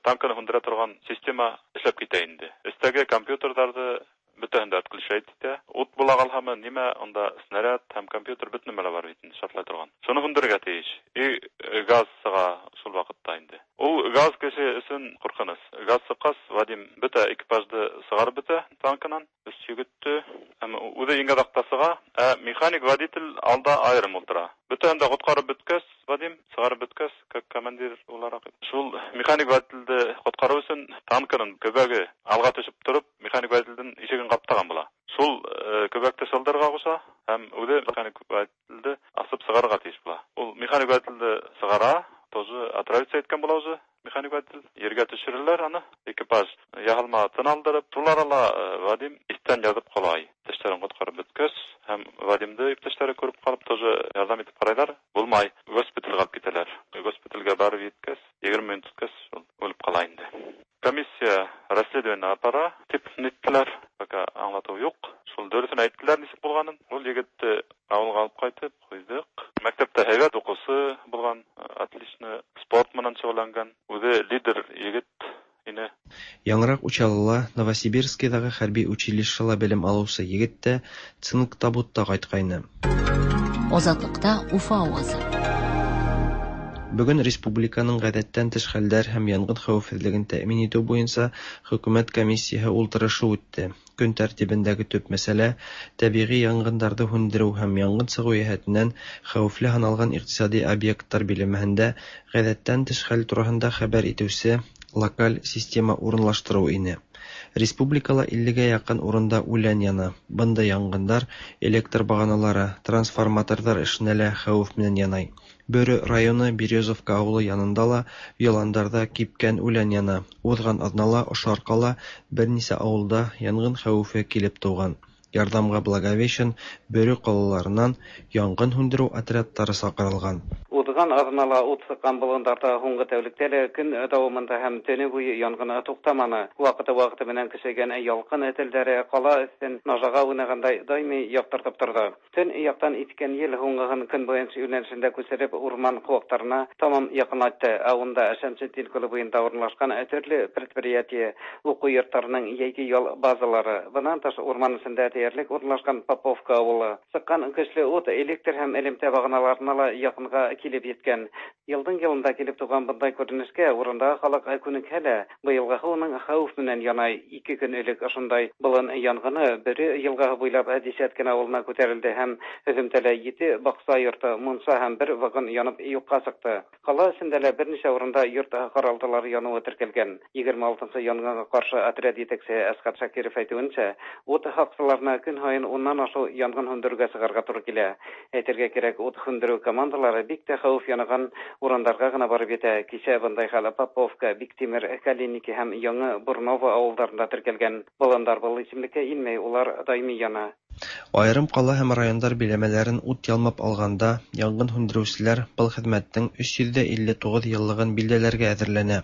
танкны һүндерә торган система эшләп китә инде. Өстәге компьютерларны бөтәһен дә отключать итә. Ут була калһамы, нимә, анда снаряд һәм компьютер бөтен нәмәләр бар бит инде, шартлай торган. Шуны һүндерергә тиеш. И газ чыга шул вакытта инде. Ул газ кеше өчен куркыныч. Газ чыккач, Вадим бөтә экипажны чыгарып бетә танкынан. Өч егетте, һәм үзе иң азакта чыга, ә механик водитель алда аерым утыра. Бөтәһен дә коткарып беткәч, Вадим чыгарып беткәч, как командир буларак, шул механик водительне коткару өчен танкының көбәге алга төшеп торып, механик водительдең ишеген каптаган була. Шул көбәкте шылдырга куша һәм үзе механик водительне асып чыгарырга тиеш була. Ул механик водительне чыгара, тоже Отравиться иткән була уже механик водитель. Ергә төшерәләр аны. Экипаж яһалма тын алдырып, шул арала Вадим истән язып кала. Иптәшләрен коткарып беткәч, һәм Вадимды иптәшләре күреп калып, тоже ярдәм итеп карайлар. Булмай, госпитальгә алып китәләр. Госпитальгә барып җиткәч, 20 минут үткәч, ул үлеп кала инде. Комиссия расследование апара дип ниттеләр. Пока аңлату юк. Шул дөресен әйттеләр ничек булганын. Ул егетне авылга алып кайтып куйдык. Мәктәптә һәйбәт укучы булган, отлично спорт менән шөгыльләнгән. Үзе лидер егет ине. Яңарак Учалыла, Новосибирскидагы хәрби училищела белем алучы егет тә цинк табутта кайткайны. Азатлыкта Уфа авазы. Бүген республиканың гадәттән тыш хәлләр һәм янгын хәвефсезлеген тәэмин итү буенча хөкүмәт комиссияһе ултырышы үтте. Көн тәртибендәге төп мәсьәлә табигый янгыннарны һүндерү һәм янгын чыгу җәһәтеннән хәвефле һаналган икътисади объектлар биләмәһендә гадәттән тыш хәл турында хәбәр итүче локаль система урынлаштыру ине. Республикала 50гә якын урында үлән яна. Бында янгыннар электр баганалары, трансформаторлар эшенә лә хәвеф менән янай. Бөре районы Березовка авылы янында ла яландарда кипкән үлән яна. Узган аҙнала ошо арҡала бер нисә ауылда янгын хәүефе килеп тыуған. Ярҙамға Благовещен, Бөрө ҡалаларынан янгын һүндереү отрядтары саҡырылған. Узган аҙнала ут сыҡҡан болондарҙа һуңғы тәүлектә лә көн дауамында һәм төнө буйы янгын туҡтаманы. Ваҡыты-ваҡыты менән көсәйгән ялҡын телдәре ҡала өҫтөн нажаға уйнағандай даими яҡтыртып торҙо. Төн яҡтан иҫкән ел һуңғыһын көнбайыш йүнәлешендә күсереп урман ҡыуаҡтарына тамам яҡынайтты. Ә унда Шәмсетдин күле буйында урынлашҡан төрлө предприятие, уҡыу йорттарының йәйге ял базалары, бынан тыш урман эсендә тиерлек урынлашҡан Поповка ауылы. Сыҡҡан көслө ут электр һәм элемтә бағаналарына ла яҡынға килеп еткән. Йылдың йылында килеп тыуған бындай күренешкә урындағы халыҡ күнекһә лә, быйылғыһы уның хәүеф менән янай. 2 көн элек ошондай болон янгыны Бөрө йылғаһы буйлап Десяткин ауылына күтәрелде һәм һөҙөмтәлә 7 баҡса йорто, мунса һәм бер вагон янып юҡҡа сыҡты. Ҡала эсендә лә бер нисә урында йорт ҡаралтылары яныуы теркәлгән. 26-нсы янгынға ҡаршы отряд етәксеһе Әсҡәт Шакиров әйтеүенсә, ут һаҡсыларына көн һайын уннан ашыу янгын һүндереүгә сығырға тура килә. Әйтергә кәрәк, ут һүндереү командалары бик тә хәүеф янаған урындарға ғына барып етә. Кисә бындай хәл Поповка, Биктимер, Калиники һәм Яңы Бурново ауылдарында теркәлгән. Болондар был исемлеккә инмәй, улар даими яна. Айырым ҡала һәм райондар биләмәләрен ут ялмап алғанда янгын һүндереүселәр был хеҙмәттең 359 йыллығын билдәләргә әҙерләнә.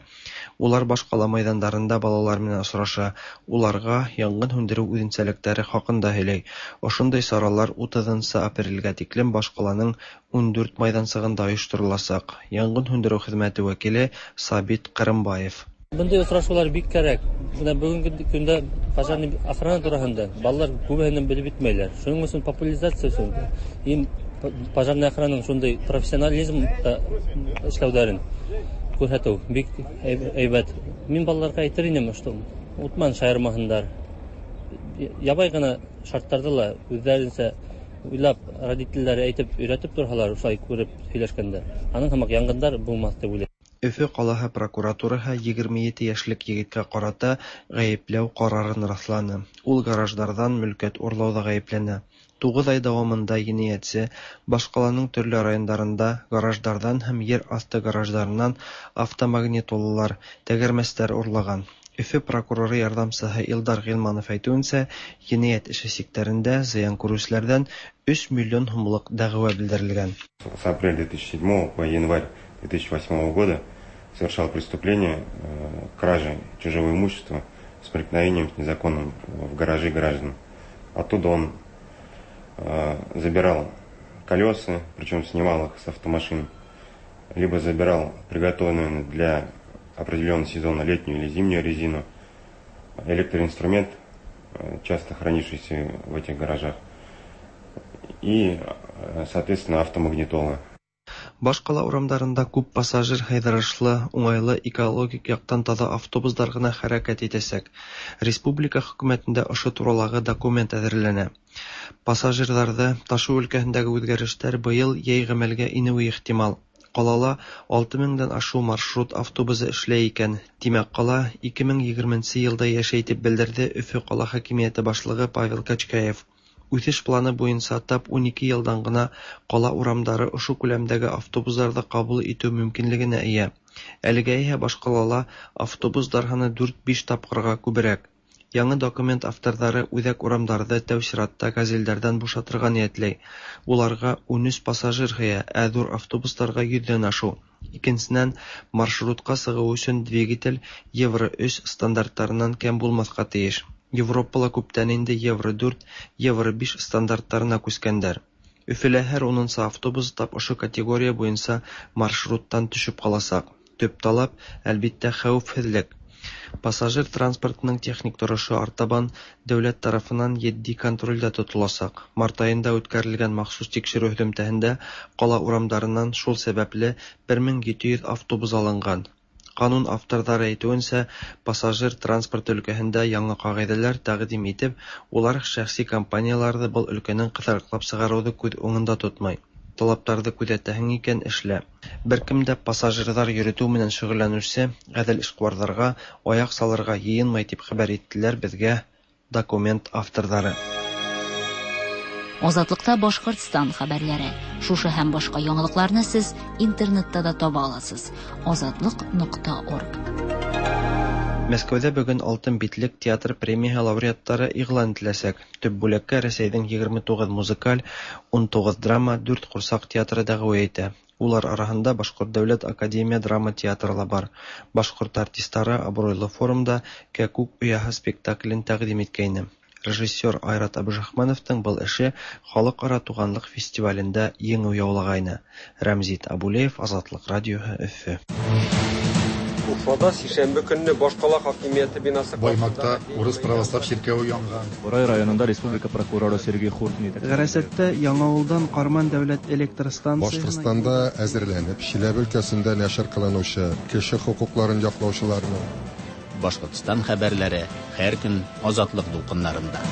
Улар баш ҡала майҙандарында балалар менән осраша, уларға янгын һүндереү үҙенсәлектәре хаҡында һөйләй. Ошондай саралар 30 апрелгә тиклем баш ҡаланың 14 майҙансығында ойоштороласаҡ. Янгын һүндереү хеҙмәте вәкиле Сабит Ҡырымбаев. Бындай осрашыулар бик кәрәк. Бына бөгөнгө көндә пожарный охрана тураһында балалар күбеһенең белеп бөтмәйләр. Шуның өсөн популяризация өсөн им пожарный охрананың шундай профессионализмда эшләүҙәрен күрһәтеү бик әйбәт. Мин балаларға әйтер инем, что утман шаярмаһындар. Ябай ғына шарттарҙы ла үҙҙәренсә уйлап, родителдәре әйтеп өйрәтеп торһалар, шулай күреп һөйләшкәндә, аның һымаҡ янгындар булмаҫ тип уйлайым. Өфө ҡалаһы прокуратураһы 27 йәшлек егеткә ҡарата ғәйепләү ҡарарын раҫланы. Ул гараждарҙан мөлкәт урлауҙа ғәйепләнә. 9 ай дауамында енәйәтсе баш ҡаланың төрлө райондарында гараждарҙан һәм ер аҫты гараждарынан автомагнитолалар, тәгәрмәстәр урлаған. Өфө прокуроры ярҙамсыһы Илдар Ғилманов әйтеүенсә, енәйәт эше сиктәрендә зыян күреүселәрҙән 3 миллион һумлыҡ дәғүә белдерелгән. С апреля 2007 по январь 2008 года совершал преступление кражи чужого имущества с проникновением незаконным в гаражи граждан. Оттуда он забирал колеса, причем снимал их с автомашин, либо забирал приготовленную для определенного сезона летнюю или зимнюю резину, электроинструмент, часто хранившийся в этих гаражах, и, соответственно, автомагнитолы. Баш ҡала урамдарында күп пассажир һыйҙырышлы, уңайлы экологик яҡтан таҙа автобустар ғына хәрәкәт итәсәк. Республика хөкүмәтендә ошо туралағы документ әҙерләнә. Пассажирҙарҙы ташыу өлкәһендәге үҙгәрештәр быйыл йәй ғәмәлгә инеүе ихтимал. Ҡалала 6000-дән ашыу маршрут автобусы эшләй икән. Тимәк, ҡала 2020 йылда йәшәй, тип белдерҙе Өфө ҡала хакимиәте башлығы Павел Качкаев. Үсеш планы буенча тап 12 елдан гына кала урамдары ошо күләмдәге автобусларны кабул итү мөмкинлегенә ия. Әлегә исә башкалала автобуслар саны 4-5 тапкырга күбрәк. Яңа документ авторлары үзәк урамнарны тәү чиратта "Газельләрдән" бушатырга ниятләй. Уларга 13 пассажир сыя, ә зур автобусларга йөздән ашу. Икенчедән, маршрутка чыгу өчен двигатель Евро-3 стандартларыннан ким булмаска тиеш. Европала күптән инде Евро-4, Евро-5 стандартларына күчкәннәр. Өфөлә һәр унынчы автобус тап ошо категория буенча маршруттан төшеп калачак. Төп таләп, әлбиттә, хәвефсезлек. Пассажир транспортының техник торышы артабан дәүләт тарафыннан етди контрольдә тотылачак. Март аенда үткәрелгән махсус тикшерү һөҙөмтәһендә кала урамдарыннан шул сәбәпле 1700 автобус алынган. Канун авторлары әйтүенчә, пассажир транспорты өлкәһендә яңа кагыйдәләр тәкъдим итеп, улар шәхси компанияләрҙе был өлкәнән ҡыҫырыҡлап сығарыуҙы күҙ уңында тотмай. Талаптарҙы күҙәтәһең икән, эшлә. Бер кем дә пассажирҙар йөрөтөү менән шөғөлләнеүсе ғәҙел эшҡыуарҙарға аяҡ салырға йыйынмай, тип хәбәр иттеләр беҙгә документ авторҙары. Азатлыкта Башкортстан хәбәрләре. Шушы һәм башка яңалыкларны сез интернетта да таба аласыз. Азатлык.орг. Мәскәүҙә бөгөн Алтын битлек театр премияһы лауреаттары иғлан ителәсәк. Төп бүләккә Рәсәйҙең 29 музыкаль, 19 драма, 4 ҡурсаҡ театры дәғүә итә. Улар араһында Башҡорт дәүләт академия драма театры ла бар. Башҡорт артистары абруйлы форумда Кәкүк ояһы спектаклен тәҡдим иткәйне. Режиссер Айрат Абдрахмановтың был эше халыҡ-ара туғанлыҡ фестивалендә еңеү яулағайны. Рәмзит Абулеев, Азатлыҡ радиоһы, Өфө. Уфада сишәмбе көнне башкала хакимияте бинасы Баймакта урыс православ чиркәве янган. Бурай районында республика прокуроры Сергей Хуртин Ғәрәсәттә Яңауылдан Ҡарман дәүләт электр станцияһына Башкортстанда әзерләнеп, Чиләбе өлкәсендә нәшер кылынучы кеше хокукларын яклаучыларның Башкортстан хәбәрләре һәр көн Азатлык дулкыннарында.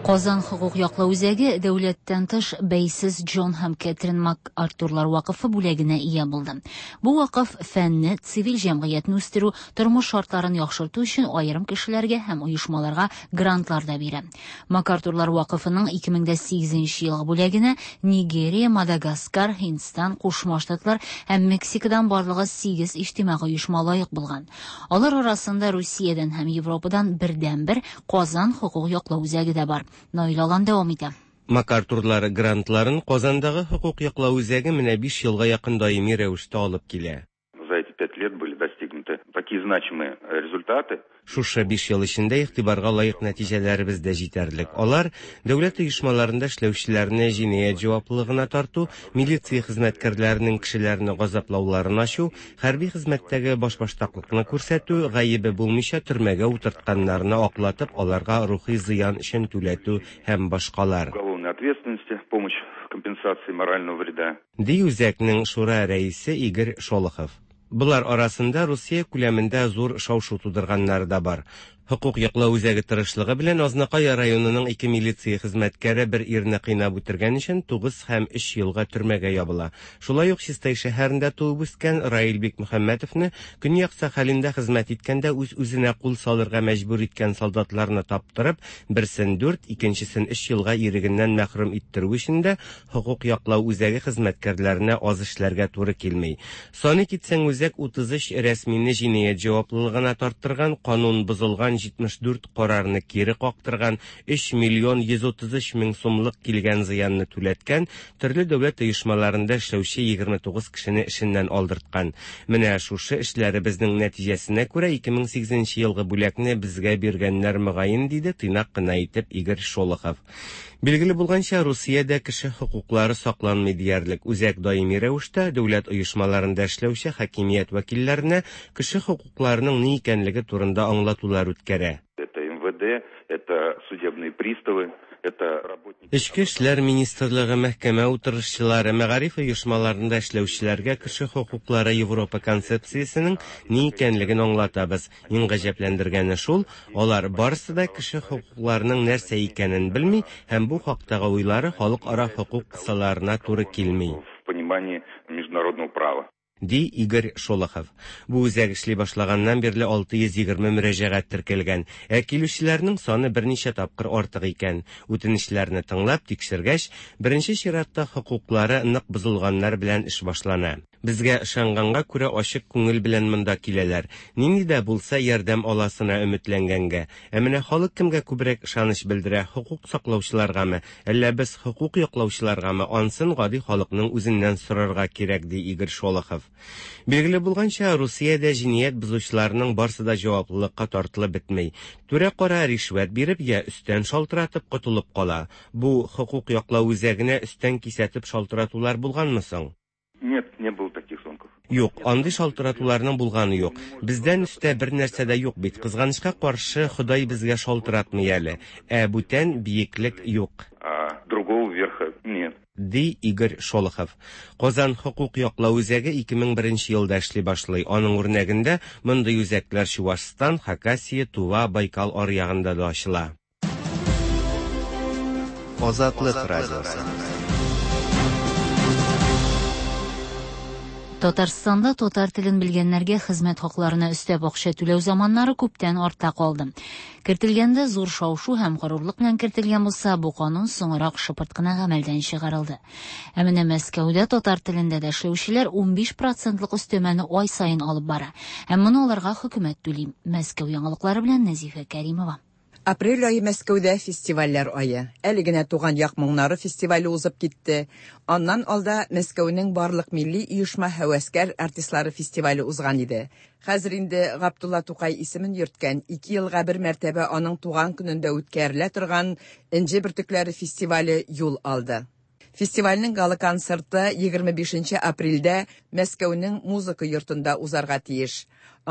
Казан хокук яклау үзәге дәүләттән тыш бәйсез Джон һәм Кэтрин МакАртурлар вакыфы бүләгенә ия булды. Бу вакыф фәнне, цивиль җәмгыятьне үстерү, тормыш шартларын яхшырту өчен аерым кешеләргә һәм оешмаларга грантлар да бирә. МакАртурлар вакыфының 2008 елгы бүләгенә Нигерия, Мадагаскар, Һиндстан, Кушма Штатлар һәм Мексикадан барлыгы 8 иҗтимагый оешма лаек булган. Алар арасында Русиядән һәм Европадан бердәнбер Казан хокук яклау үзәге дә бар. Наил Алан дәвам итә. МакАртурлар грантларын Казандагы хокук яклау үзәге менә 5 елга якын даими рәвештә алып килә. За эти 5 лет были достигнуты такие значимые результаты. Шушы 5 ел эчендә игътибарга лаек нәтиҗәләребез дә җитәрлек. Алар дәүләт оешмаларында эшләүчеләрне җинаять җаваплылыгына тарту, милиция хезмәткәрләренең кешеләрне газаплауларын ачу, хәрби хезмәттәге башбаштаклыкны күрсәтү, гаебе булмыйча төрмәгә утыртканнарны аклатып, аларга рухи зыян өчен түләтү һәм башкалар. Уголовной ответственности, помощь в компенсации морального вреда. Ди үзәкнең шура рәисе Игорь Шолохов. Болар арасында Русия күләмендә зур шау-шу тудырганнары да бар. Хокук яклау үзәге тырышлыгы белән Азнакай районының ике милиция хезмәткәре бер ирне кыйнап үтергән өчен 9 һәм 3 елга төрмәгә ябыла. Шулай ук Чистай шәһәрендә туып үскән Раил Бикмөхәммәтовны Көньяк Сахалинда хезмәт иткәндә үз-үзенә кул салырга мәҗбүр иткән солдатларны таптырып, берсен 4, икенчесен 3 елга ирегеннән мәхрүм иттерү өчен дә хокук яклау үзәге хезмәткәрләренә аз эшләргә туры килми. Саны китсәң, үзәк 33 рәсмине җинаять җаваплылыгына тарттырган, канун бозылган 74 карарны кире кактырган, 3 миллион 133 мең сумлык килгән зыянны түләткән, төрле дәүләт оешмаларында эшләүче 29 кешене эшеннән алдырткан. Менә шушы эшләребезнең нәтиҗәсенә күрә 2008 елгы бүләкне безгә биргәннәр мөгаен, диде тыйнак кына итеп Игорь Шолохов. Билгеле булганча, Русиядә кеше хокуклары сакланмый диярлек. Үзәк даими рәвештә дәүләт оешмаларында эшләүче хакимият вәкилләренә кеше хокукларының ни икәнлеге турында аңлатулар үткәрә. Это МВД, это судебные приставы, это работники... Эчке эшләр министрлыгы, мәхкәмә утырышчылары, мәгариф оешмаларында эшләүчеләргә кеше хокуклары Европа концепциясенең ни икәнлеген аңлатабыз. Иң гаҗәпләндергәне шул, алар барысы да кеше хокукларының нәрсә икәнен белми һәм бу хактагы уйлары халыкара хокук кысаларына туры килми. В понимании международного права. Ди Игорь Шолохов. Бу үзәк эшли башлаганнан бирле 620 мөрәҗәгать теркәлгән, ә килүчеләрнең саны берничә тапкыр артык икән. Үтенечләрне тыңлап, тикшергәч, беренче чиратта хокуклары нык бозылганнар белән эш башлана. Безгә ышанганга күрә ачык күңел белән монда киләләр. Нинди дә булса ярдәм аласына өметләнгәнгә. Ә менә халык кемгә күбрәк ышаныч белдерә, хокук саклаучыларгамы, әллә без хокук яклаучыларгамы, ансын гади халыкның үзеннән сорарга кирәк, ди Игорь Шолохов. Билгеле булганча, Русиядә җинаять бозучыларның барсы да җаваплылыкка тартылып бетми. Түрә-кара ришвәт биреп йә өстән шалтыратып котылып кала. Бу хокук яклау үзәгенә өстән кисәтеп шалтыратулар булганмы соң? Нет, не было таких звонков. Юк, андый шалтыратуларның булганы юк. Бездән өстә бер нәрсә дә юк бит. Кызганычка каршы, Ходай безгә шалтыратмый әле. Ә бүтән биеклек юк. А другого верха нет. Ди Игорь Шолохов. Казан хокук яклау үзәге 2001 елда эшли башлый. Аның үрнәгендә мондый үзәкләр Чувашстан, Хакасия, Тува, Байкал аръягында да ачыла. Азатлык радиосы. Татарстанда татар телен белгәннәргә хезмәт хакларына өстәп акча түләү заманнары күптән артта калды. Кертелгәндә зур шау-шу һәм горурлык белән кертелгән булса, бу канун соңрак шыпырт кына гамәлдән чыгарылды. Ә менә Мәскәүдә татар телендә дә эшләүчеләр 15 процентлык өстәмәне ай саен алып бара. Һәм моны аларга хөкүмәт түли. Мәскәү яңалыклары белән Нәзифә Кәримова. Апрель ае Мәскәүдә фестивальләр ае. Әле генә Туган як моңнары фестивале узып китте. Аннан алда Мәскәүнең барлык милли оешма һәвәскәр артистлары фестивале узган иде. Хәзер инде Габдулла Тукай исемен йөрткән, ике елга бер мәртәбә аның туган көнендә үткәрелә торган Энҗе бөртекләре фестивале юл алды. Фестивальнең гала-концерты 25 нче апрельдә Мәскәүнең Музыка йортында узарга тиеш.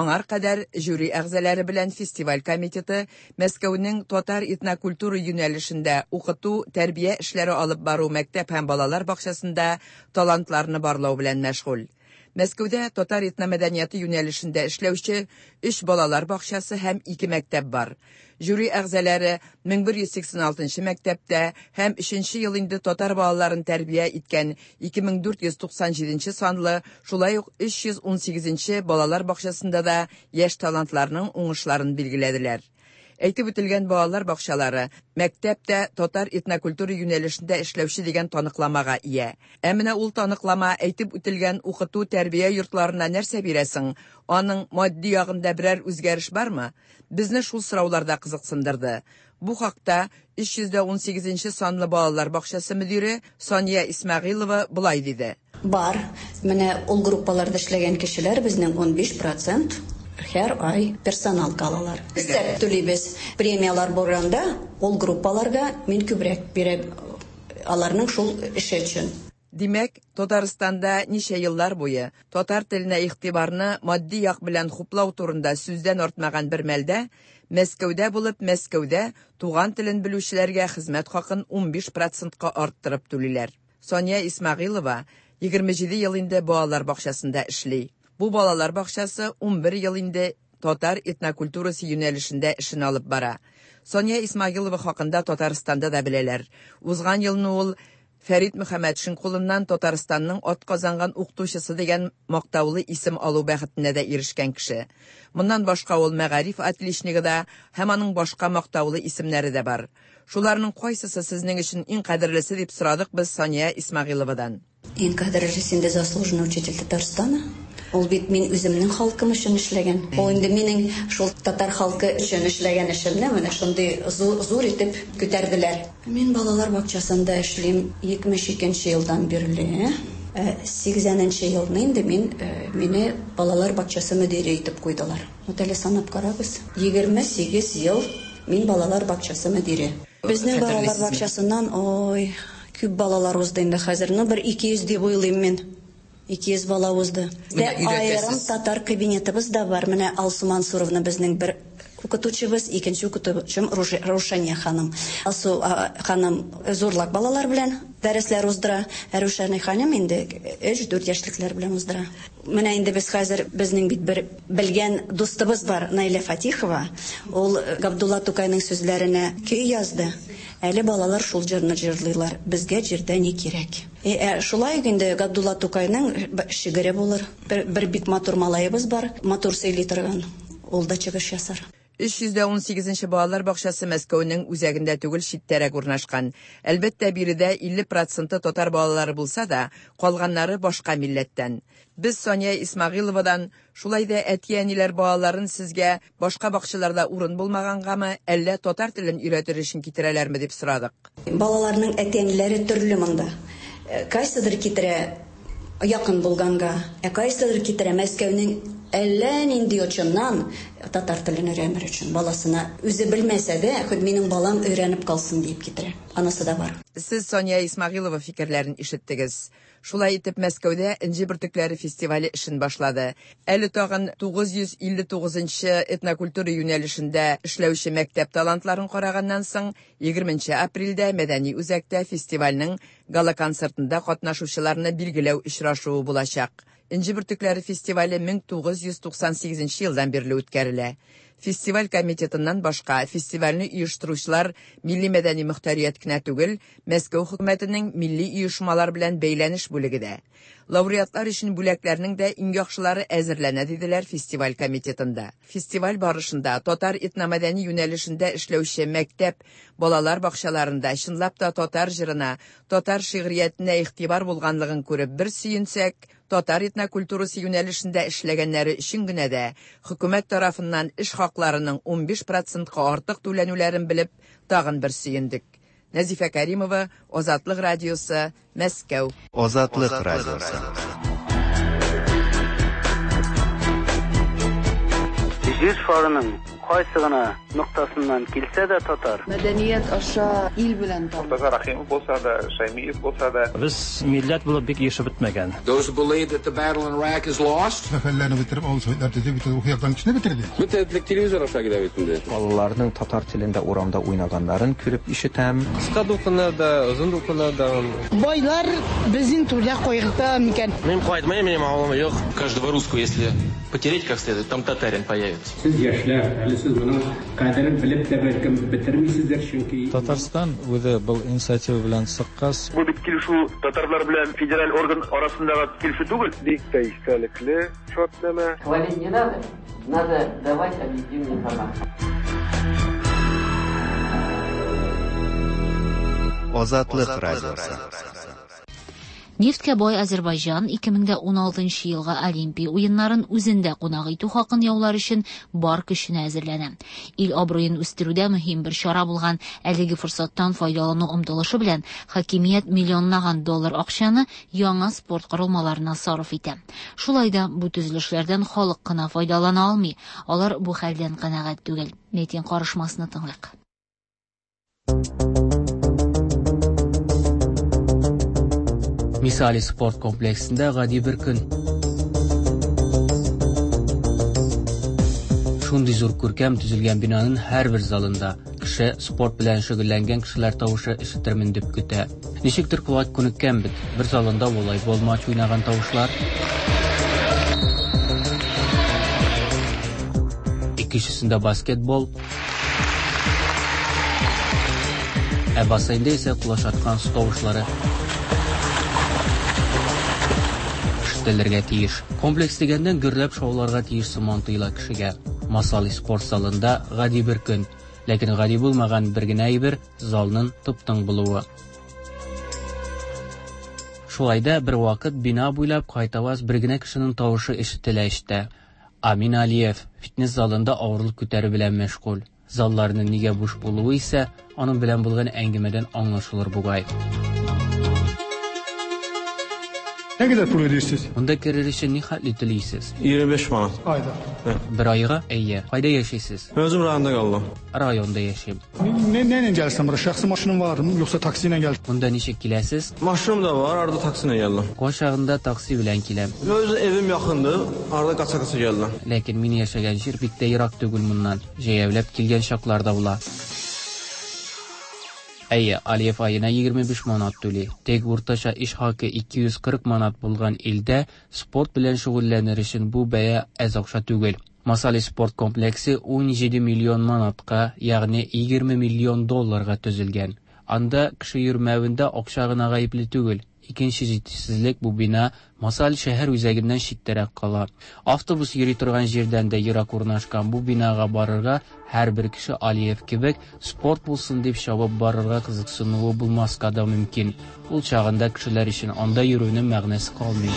Аңар кадәр жюри әгъзалары белән фестиваль комитеты Мәскәүнең татар этнокультура юнәлешендә укыту, тәрбия эшләре алып бару мәктәп һәм балалар бакчасында талантларны барлау белән мәшгуль. Мәскәүдә татар этномәдәнияты юнәлешендә эшләүче өч балалар бакчасы һәм ике мәктәп бар. Жюри әгъзалары 1186 нчы мәктәптә һәм өченче ел инде татар балаларын тәрбия иткән 2497 нче санлы, шулай ук 318 нче балалар бакчасында да яшь талантларның уңышларын билгеләделәр. Әйтеп үтелгән балалар бакчалары, мәктәп тә татар этнокультура юнәлешендә эшләүче дигән таныкламага ия. Ә менә ул таныклама әйтеп үтелгән укыту-тәрбия йортларына нәрсә бирә соң? Аның матди ягында берәр үзгәреш бармы? Безне шул сораулар да кызыксындырды. Бу хакта 318 нче санлы балалар бакчасы мөдире Сания Исмәгыйлова болай диде. Бар. Менә ул группаларда эшләгән кешеләр безнең 15 процент һәр ай персоналка алалар. Өстәп түлибез. Премияләр булганда, ул группаларга мин күбрәк бирәм аларның шул эше өчен. Димәк, Татарстанда ничә еллар буе татар теленә игътибарны матди як белән хуплау турында сүздән артмаган бер мәлдә, Мәскәүдә булып, Мәскәүдә туган телен белүчеләргә хезмәт хакын 15 процентка арттырып түлиләр. Сания Исмәгыйлова 27 ел инде балалар бакчасында эшли. Бу балалар бакчасы 11 ел инде татар этнокультурасы юнәлешендә эшен алып бара. Сания Исмагилова хакында Татарстанда да беләләр. Узган елны ул Фәрит Мөхәммәтшин кулыннан Татарстанның атказанган укытучысы дигән мактаулы исем алу бәхетенә дә ирешкән кеше. Моннан башка ул мәгариф отличнигы да һәм аның башка мактаулы исемнәре дә бар. Шуларның кайсысы сезнең өчен иң кадерлесе дип сорадык без Сания Исмәгыйловадан. Иң кадерлесе инде заслуженный учитель Татарстана. Ул бит мин үземнең халкым өчен эшләгән. Ул инде минең шул татар халкы өчен эшләгән эшемне менә шундый зур итеп күтәрделәр. Мин балалар бакчасында эшлим 72 нче елдан бирле. Ә 80 нче елны инде мин мине балалар бакчасы мөдире итеп куйдылар. Вот әле санап карагыз, 28 ел Мин балалар бакчасы мөдире. Безнең балалар бакчасыннан, ой, күп балалар узды инде хәзер. Ну, бер 200 дип уйлыйм мин. 200 бала узды. Дә аерым татар кабинетыбыз да бар. Менә Алсу Мансуровна безнең бер укытучыбыз, икенче укытучым Рушания ханым. Алсу ханым зурлак балалар белән дәресләр уздыра. Ә Рушания ханым инде 3-4 яшьлекләр белән уздыра. Менә инде без хәзер, безнең бит бер белгән дустыбыз бар, Наилә Фатихова. Ул Габдулла Тукайның сүзләренә көй язды. Әле балалар шул җырны җырлыйлар. Безгә җирдә ни кирәк? Ә шулай ук инде Габдулла Тукайның шигыре булыр. Бер, бер бик матур малаебыз бар, матур сөйли торган. Ул да чыгыш ясар. 318 нче балалар бакчасы Мәскәүнең үзәгендә түгел, читтәрәк урнашкан. Әлбәттә, биредә 50 проценты татар балалары булса да, калганнары башка милләттән. Без Сания Исмәгыйловадан, шулай да әти-әниләр балаларын сезгә башка бакчаларда урын булмагангамы, әллә татар телен өйрәтер өчен китерәләрме дип сорадык. Балаларның әти-әниләре төрле монда. Кайсыдыр китерә якын булганга, ә кайсыдыр китерә Мәскәүнең әллә нинди очыннан татар телен өйрәнер өчен баласына үзе белмәсә дә, хоть минем балам өйрәнеп калсын диеп китерә. Анысы да бар. Сез Сания Исмәгыйлова фикерләрен ишеттегез. Шулай итеп, Мәскәүдә Энҗе бөртекләре фестивале эшен башлады. Әле тагын 959 нчы этнокультура юнәлешендә эшләүче мәктәп талантларын караганнан соң, 20 нче апрельдә мәдәни үзәктә фестивальнең гала-концертында катнашучыларны билгеләү очрашуы булачак. Энҗе бөртекләре фестивале 1998 нче елдан бирле үткәрелә. Фестиваль комитетыннан башка, фестивальне оештыручылар милли-мәдәни мохтарият кенә түгел, Мәскәү хөкүмәтенең милли оешмалар белән бәйләнеш бүлеге дә. Лауреатлар өчен бүләкләрнең дә иң яхшылары әзерләнә, диделәр фестиваль комитетында. Фестиваль барышында татар этномәдәни юнәлешендә эшләүче мәктәп, балалар бакчаларында чынлап та татар җырына, татар шигъриятенә игътибар булганлыгын күреп бер сөенсәк, татар этнокультурасы юнәлешендә эшләгәннәре өчен генә дә хөкүмәт тарафыннан эш хакларының 15 процентка артык түләнүләрен белеп, тагын бер сөендек. Нәзифә Кәримова, Азатлык радиосы, Мәскәү. Азатлык радиосы. Җир шарының кайсы гына ноктасыннан килсә дә татар. Мәдәният аша ил белән таныш. Мортаза Рәхимов булса да, Шәймиев булса да. Без милләт булып бик ирешеп бетмәгән. Those who believe that the battle in Iraq is lost. Сәфәрләрне бетереп, авыл советлар төзеп, бөтен рухи яктан кешене бетерде. Бөтен этлек телевизор аша килә бит инде. Балаларның татар телендә урамда уйнаганнарын күреп ишетәм. Кыска дулкыннарда, озын дулкыннарда. Байлар безнең түрдә кайгырта микән? Мин кайтмыйм, минем авылым юк. Каждого русского, если потереть как следует, там татарин появится. Сез яшьләр, әле сез моның кадерен белеп тә бәлкем бетермисездер, чөнки Татарстан үзе был инициатива белән чыккач. Бу бит килешү татарлар белән федераль орган арасындагы килешү түгел. Бик тә истәлекле шартнамә. Хвалить не надо, надо давать объективную информацию. Азатлык радиосы. Нефтькә бай Азәрбайҗан 2016 елгы Олимпия уеннарын үзендә кунак итү хакын яулар өчен бар көченә әзерләнә. Ил абруен үстерүдә мөһим бер чара булган әлеге форсаттан файдалану омтылышы белән хакимият миллионлаган доллар акчаны яңа спорт корылмаларына сарыф итә. Шулай да бу төзелешләрдән халык кына файдалана алмый, алар бу хәлдән канәгать түгел. Митинг карышмасны тыңлыйк. Мисали спорт комплексында гади бер көн. Шундый зур күркәм төзелгән бинаның һәрбер залында кеше спорт белән шөгыльләнгән кешеләр тавышы ишетермен дип көтә. Ничектер колак күнеккән бит. Бер залында волейбол матч уйнаган тавышлар. Икенчесендә баскетбол. Ә бассейнда исә колач аткан су тавышлары ишетелергә тиеш. Комплекс дигәннән гөрләп шауларга тиеш сыман тоела кешегә. Масали спорт залында гади бер көн, ләкин гади булмаган бер генә әйбер залның тып-тын булуы. Шулай да бер вакыт бина буйлап кайтаваз бер генә кешенең тавышы ишетелә эчтә. Амин Алиев фитнес залында авырлык күтәрү белән мәшгуль. Залларның нигә буш булуы исә аның белән булган әңгәмәдән аңлашылыр бугай. Nə qədər pul ödəyirsiniz? Монда керер өчен ни хәтле түлисез? 25 manat. Ayda. Бер айга? Әйе. Кайда яшисез? Özüm rayonda qaldım. Районда яшим. Nə, nə ilə gəlirsən bura? Şəxsi maşının var, yoxsa taksi ilə gəl? Монда ничек киләсез? Maşınım da var, arada taksi ilə gəldim. Кайчагында такси белән киләм. Öz evim yaxındır, arada qaça-qaça gəldim. Ләкин мин яшәгән җир бик тә ерак түгел моннан. Җәяүләп килгән чаклар да була. Әйе, Алиев аена 25 манат түли. Тик уртача эш хакы 240 манат булган илдә спорт белән шөгыльләнер өчен бу бәя әз акча түгел. Масали спорт комплексы 17 миллион манатка, ягъни 20 миллион долларга төзелгән. Анда кеше йөрмәвендә акча гына гаепле түгел. Икенче җитешсезлек бу бина Масаль шәһәр үзәгеннән читтәрәк кала. Автобус йөри торган җирдән дә ерак урнашкан бу бинага барырга һәрбер кеше Алиев кебек спорт булсын дип чабып барырга кызыксынуы булмаска да мөмкин. Ул чагында кешеләр өчен анда йөрүнең мәгънәсе калмый.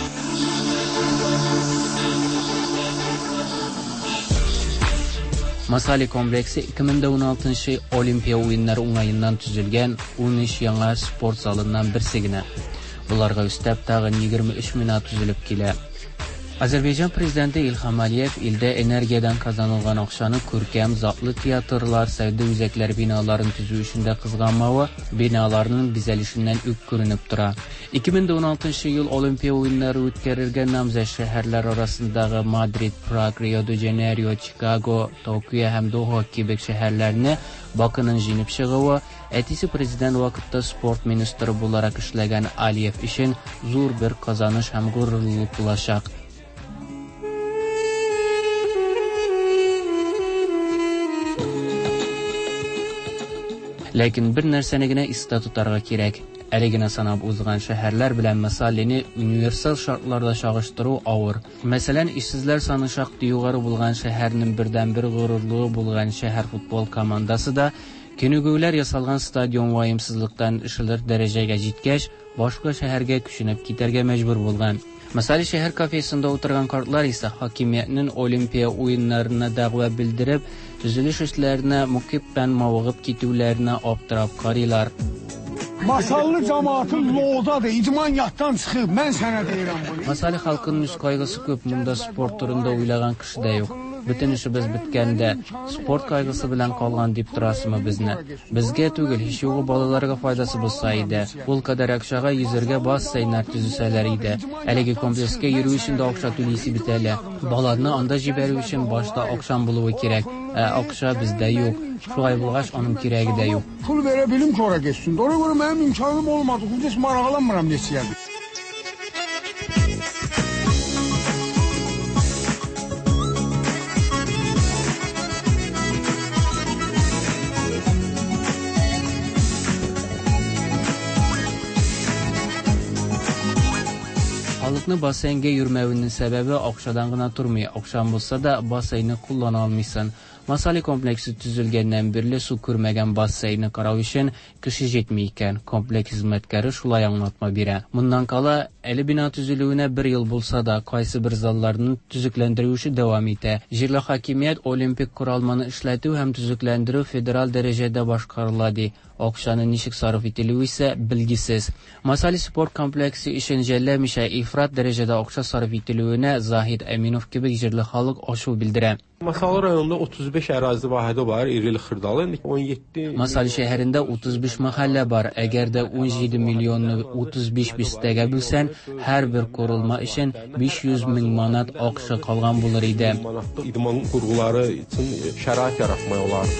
Масали комплексы 2016 Олимпия уеннары уңаеннан төзелгән 13 яңа спорт залыннан берсе генә. Боларга өстәп тагын 23 бина төзелеп килә. Азәрбайҗан президенты Илһам Алиев илдә энергиядән казанылган акчаны күркәм, затлы театрлар, сәүдә үзәкләре биналарын төзү өчен дә кызганмавы биналарның бизәлешеннән үк күренеп тора. 2016 ел Олимпия уеннары үткәрергә намзәт шәһәрләр арасындагы Мадрид, Праг, Рио-де-Жанейро, Чикаго, Токио һәм Доха кебек шәһәрләрне Бакының җиңеп чыгуы, әтисе президент вакытта спорт министры буларак эшләгән Алиев өчен зур бер казаныш һәм горурлык булачак. Ләкин бер нәрсәне генә истә тотарга кирәк. Әле генә санап узган шәһәрләр белән Масалины универсаль шартларда чагыштыру авыр. Мәсәлән, эшсезләр саны шактый югары булган шәһәрнең бердәнбер горурлыгы булган шәһәр футбол командасы да күнегүләр ясалган стадион ваемсызлыктан ишелер дәрәҗәгә җиткәч, башка шәһәргә күченеп китәргә мәҗбүр булган. Масали шәһәр кафесында утырган картлар исә хакимиятнең Олимпия уеннарына дәгъва белдереп, төзелеш эшләренә мөкиббән мавыгып китүләренә аптырап карыйлар. Masallı cemaatı loğdadır, idman yaddan çıxıb, mən sənə deyirəm bunu. Масали халкының үз кайгысы күп, монда спорт турында уйлаган кеше дә юк. Бөтен эшебез беткән дә, спорт кайгысы белән калган дип торасызмы безне? Безгә түгел, һич югы балаларга файдасы булса иде. Ул кадәр акчага йөзәргә бассейннар төзесәләр иде. Әлеге комплекска йөрү өчен дә акча түлисе бит әле. Баланы анда җибәрү өчен башта акчаң булуы кирәк. Ә акча бездә юк. Шулай булгач, аның кирәге дә юк. Pul verə bilim ki, ora getsin. Ona görə mənim imkanım olmadı. Heç maraqlanmıram neçəyədir. Халыкны бассейнга йөрмәвенең сәбәбе акчадан гына тормый. Акчаң булса да, бассейнны куллана алмыйсың. Масали комплексы төзелгәннән бирле су күрмәгән бассейнны карау өчен кеше җитми икән. Комплекс хезмәткәре шулай аңлатма бирә. Моннан кала, әле бина төзелүенә бер ел булса да, кайсы бер залларны төзекләндерү эше дәвам итә. Җирле хакимият олимпик корылманы эшләтү һәм төзекләндерү федераль дәрәҗәдә башкарыла ди. Акчаны ничек сарыф ителүе исә билгесез. Масали спорт комплексы өчен жәлләмичә ифрат дәрәҗәдә акча сарыф ителүенә Заһид Әминов кебек җирле халык ачу белдерә. Masallı rayonunda 35 ərazi vahidi var, irili xırdalı. 17 Масали шәһәрендә 35 мәхәллә бар. Әгәр дә 17 миллионны 35 бистәгә бүлсәң, һәрбер корылма өчен 500 мең манат акча калган булыр иде. Manatlıq idman qurğuları üçün şərait yaratmaq olar.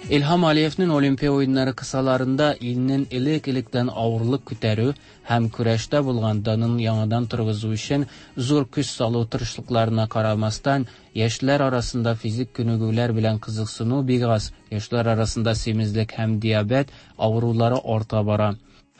Илһам Алиевның Олимпия уеннары кысаларында илнең элек-электән авырлык күтәрү һәм көрәштә булган данын яңадан торгызу өчен зур көч салу тырышлыкларына карамастан, яшьләр арасында физик күнегүләр белән кызыксыну бик аз, яшьләр арасында симезлек һәм диабет авырулары арта бара.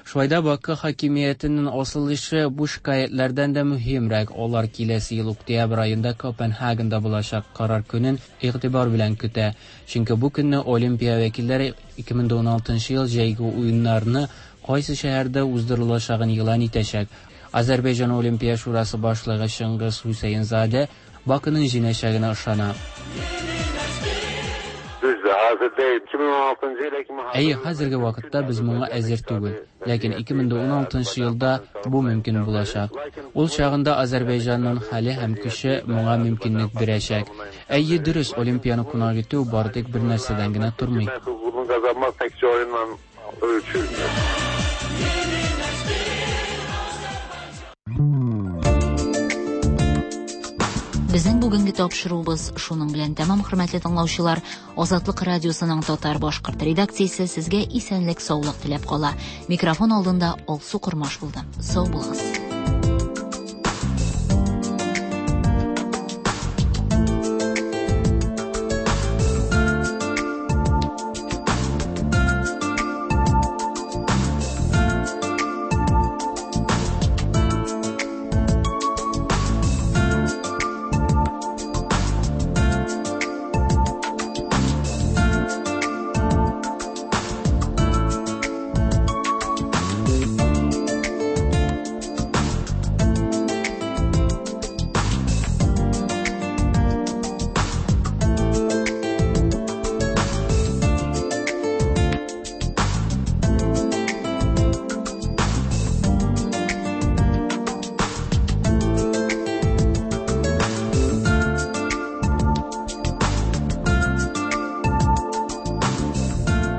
Шулай да Бакы хакимиятенең асыл эше бу шикаятьләрдән дә мөһимрәк. Алар киләсе ел октябрь аенда Копенгагенда булачак карар көнен игътибар белән көтә. Чөнки бу көнне Олимпия вәкилләре 2016 ел җәйге уеннарны кайсы шәһәрдә уздырылачагын игълан итәчәк. Азәрбайҗан Олимпия шурасы башлыгы Чыңгыз Хусейнзаде Бакының җиңәчәгенә ышана. Düzdür, hazır deyil. 2016-cı ilə kimi Әйе, хәзерге вакытта без моңа әзер түгел. Ләкин 2016 елда бу мөмкин булачак. Ул чагында Азәрбайҗанның хәле һәм көче моңа мөмкинлек бирәчәк. Әйе, дөрес, Олимпияны кунак итү бары тик бер нәрсәдән генә тормый. Hüququnu qazanmaq təkcə oyunla ölçülmür. Безнең бүгенге тапшыруыбыз шуның белән тәмам, хөрмәтле тыңлаучылар. Азатлык радиосының татар башкорт редакциясе сезгә исәнлек, саулык теләп кала. Микрофон алдында Алсу Кормаш булды. Сау булыгыз.